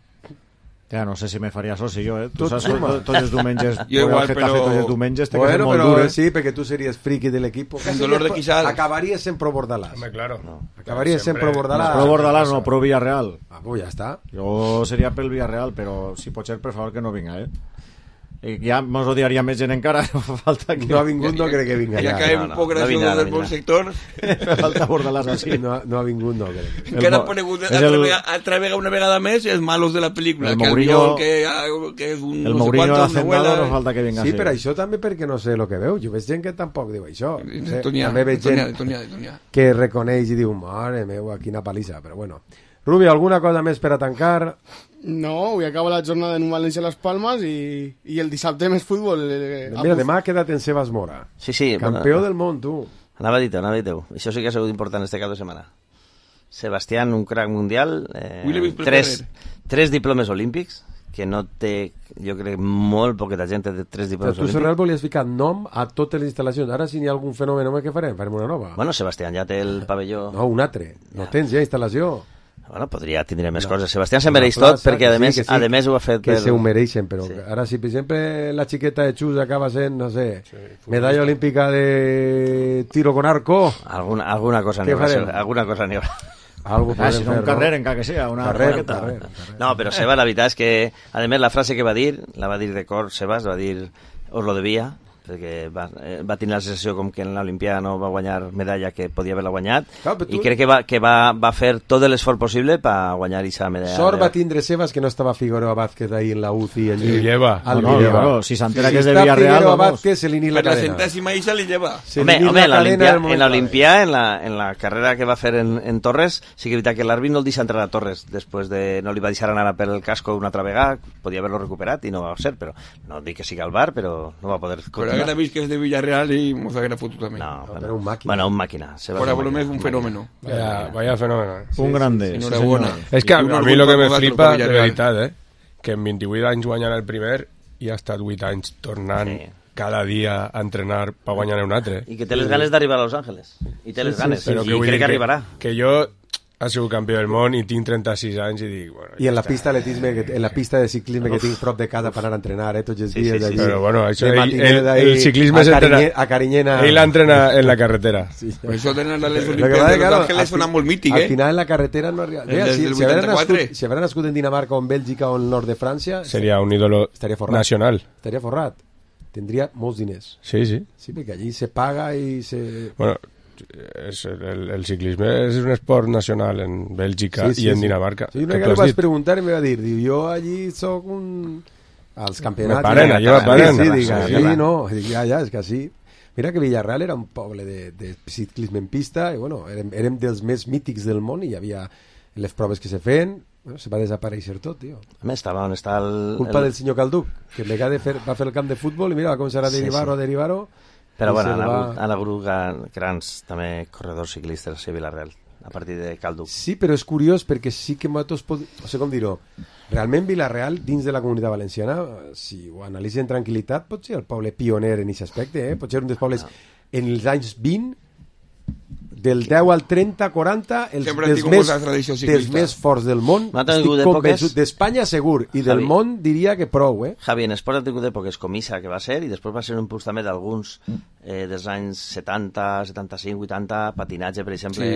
Speaker 13: Ja no sé si me faria soci jo, Tu saps que tots els diumenges...
Speaker 14: Jo igual, però...
Speaker 13: Tots els diumenges té que ser molt
Speaker 4: pero
Speaker 13: dur,
Speaker 4: sí, perquè tu series friki del equipo.
Speaker 14: Un dolor de quixal.
Speaker 4: Acabaries sempre Bordalàs.
Speaker 10: Home, claro.
Speaker 4: Acabaries sempre Bordalàs.
Speaker 13: Pro Bordalàs no, pro Villarreal.
Speaker 4: Pues ja està.
Speaker 13: Jo seria pel Villarreal, però si pot ser, per favor, que no vinga, Ja mos odiaria més gent encara, falta que...
Speaker 4: No ha vingut, no crec que vinga.
Speaker 14: Ja cae un poc gracioso del bon sector.
Speaker 13: Falta Bordalàs així.
Speaker 4: No ha vingut, no crec.
Speaker 14: Encara han conegut altra vegada, una vegada més, els malos de la pel·lícula.
Speaker 13: El Mourinho,
Speaker 14: que és un...
Speaker 13: El Mourinho hacendado no falta que vinga.
Speaker 4: Sí, però això també perquè no sé el que veu. Jo veig gent que tampoc diu això.
Speaker 14: També
Speaker 4: veig gent que reconeix i diu, mare meva, quina palissa, però bueno. Rubio, alguna cosa més per a tancar?
Speaker 12: No, avui acaba la jornada en València a les Palmes i el dissabte més futbol.
Speaker 4: Mira, demà ha quedat en Sebas Mora.
Speaker 11: Sí.
Speaker 4: Campió del món, tu.
Speaker 11: Anava a dir-ho. Això sí que ha sigut important este cap de setmana. Sebastián, un crack mundial, 3 diplomes olímpics, que no té, jo crec, molt poqueta gent té 3 diplomes olímpics.
Speaker 4: Tu, Serral, volies ficar nom a totes les instal·lacions. Ara, si n'hi ha algun fenomen, què farem? Farem una nova?
Speaker 11: Bueno, Sebastián ja té el pavelló...
Speaker 4: No, un altre. No tens ja instal·lació.
Speaker 11: Bueno, tindria més coses. Sebastián se mereix tot perquè, a més ho ha fet...
Speaker 4: Que se ho mereixen, però ara, si per exemple la xiqueta de Xus acaba sent, no sé, medalla olímpica de tiro con arco...
Speaker 11: Alguna cosa n'hi haurà.
Speaker 13: Si no, un carrer, encara que sea, una raqueta.
Speaker 11: No, però Seba, la veritat és que, a més, la frase que va dir de cor, Sebas, va dir, os lo debía, perquè va tenir la sensació com que en l'Olimpiada no va guanyar medalla que podia haver-la guanyat, i crec que va fer tot l'esforç possible per guanyar aquesta medalla.
Speaker 4: Sort va tindre Sebas que no estava Figueroa Vázquez ahí en la UCI.
Speaker 10: Li lleva.
Speaker 13: Si s'entera que és de Villarreal, vamos.
Speaker 4: Se li ni la cadena.
Speaker 14: La centèsima Isa li lleva.
Speaker 11: Home, en l'Olimpiada, en la carrera que va fer en Torres, sí que és veritat que l'àrbit no el deixa entrar a Torres, després no li va deixar anar per el casco una altra vegada, podia haver-lo recuperat i no va ser, però no dic que sigui al bar, però no va poder...
Speaker 14: Haguera vist que és de Villarreal i mos haguera fotut també.
Speaker 11: No,
Speaker 4: però un màquina.
Speaker 11: Bueno, un màquina.
Speaker 14: Fora volum és un fenómeno.
Speaker 10: Vaya fenómeno.
Speaker 13: Un grande.
Speaker 14: Enhorabuena.
Speaker 10: És que a mi el que me flipa, de veritat, que en 28 anys guanyant el primer i ha estat 8 anys tornant cada dia a entrenar per guanyar un altre.
Speaker 11: I que té les ganes d'arribar a Los Ángeles. I té les ganes. I crec que arribarà.
Speaker 10: Que jo... ha sigut campió del món i tinc 36 anys i dic... Bueno,
Speaker 4: I en la pista de ciclisme que tinc prop de casa per anar a entrenar, tots els dies d'allí.
Speaker 10: Però bueno, això, el ciclisme
Speaker 4: a Carinyena...
Speaker 10: Ell entrena en la carretera.
Speaker 14: Per això tenen les Olimpiades de Los Ángeles una molt mític,
Speaker 4: Al final en la carretera no arriba... Si haguera nascut en Dinamarca o en Bèlgica o en el nord de França...
Speaker 10: Seria un ídolo nacional.
Speaker 4: Estaria forrat. Tindria molts diners.
Speaker 10: Sí.
Speaker 4: Sí, perquè allí se paga i se...
Speaker 10: Bueno... el ciclisme és un esport nacional en Bèlgica i en Dinamarca.
Speaker 4: Sí, una vegada li vaig preguntar i em va dir, jo allí soc als campionats.
Speaker 10: Me paren.
Speaker 4: Ja, és que sí. Mira que Villarreal era un poble de ciclisme en pista i bueno, érem dels més mítics del món i hi havia les proves que se feien. Bueno, se va desaparèixer tot, tio.
Speaker 11: A més, on està
Speaker 4: culpa del senyor Calduc, que en vegada va fer el camp de futbol i mira, va començar a derivar-ho.
Speaker 11: Però bueno, a la grup grans també corredors ciclistes a Villarreal a partir de Calduc.
Speaker 4: Sí, però és curiós perquè sí que nosaltres no sé com dir-ho, realment Villarreal dins de la comunitat valenciana, si ho analitzen en tranquil·litat, pot ser el poble pioner en aquest aspecte, pot ser un dels pobles en els anys 20 del 10 al 30, 40 dels més forts del món. Estic convençut d'Espanya segur i del món diria que prou,
Speaker 11: Javi, en esport ha tingut èpoques com Issa, que va ser, i després va ser un impuls també d'alguns dels anys 70, 75, 80, patinatge, per exemple,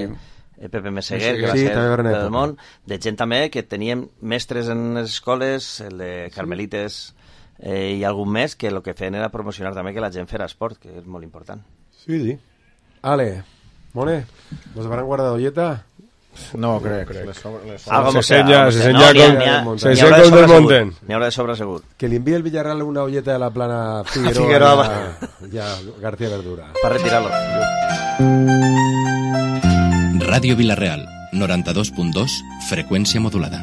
Speaker 11: Pepe Meseguer, que va ser del món, de gent també que teníem mestres en les escoles, el de Carmelites i algun més, que el que feien era promocionar també que la gent fera esport, que és molt important.
Speaker 4: Sí. Ale, Mone, ¿nos habrán guardado dieta?
Speaker 13: No, crec.
Speaker 10: Se senya com del Monten.
Speaker 11: N'hi haurà de sobre segur.
Speaker 4: Que li envie el Villarreal una olleta de la plana Figueroa i a García Verdura.
Speaker 11: Per retirar-lo.
Speaker 7: Ràdio Vilareal, 92.2, freqüència modulada.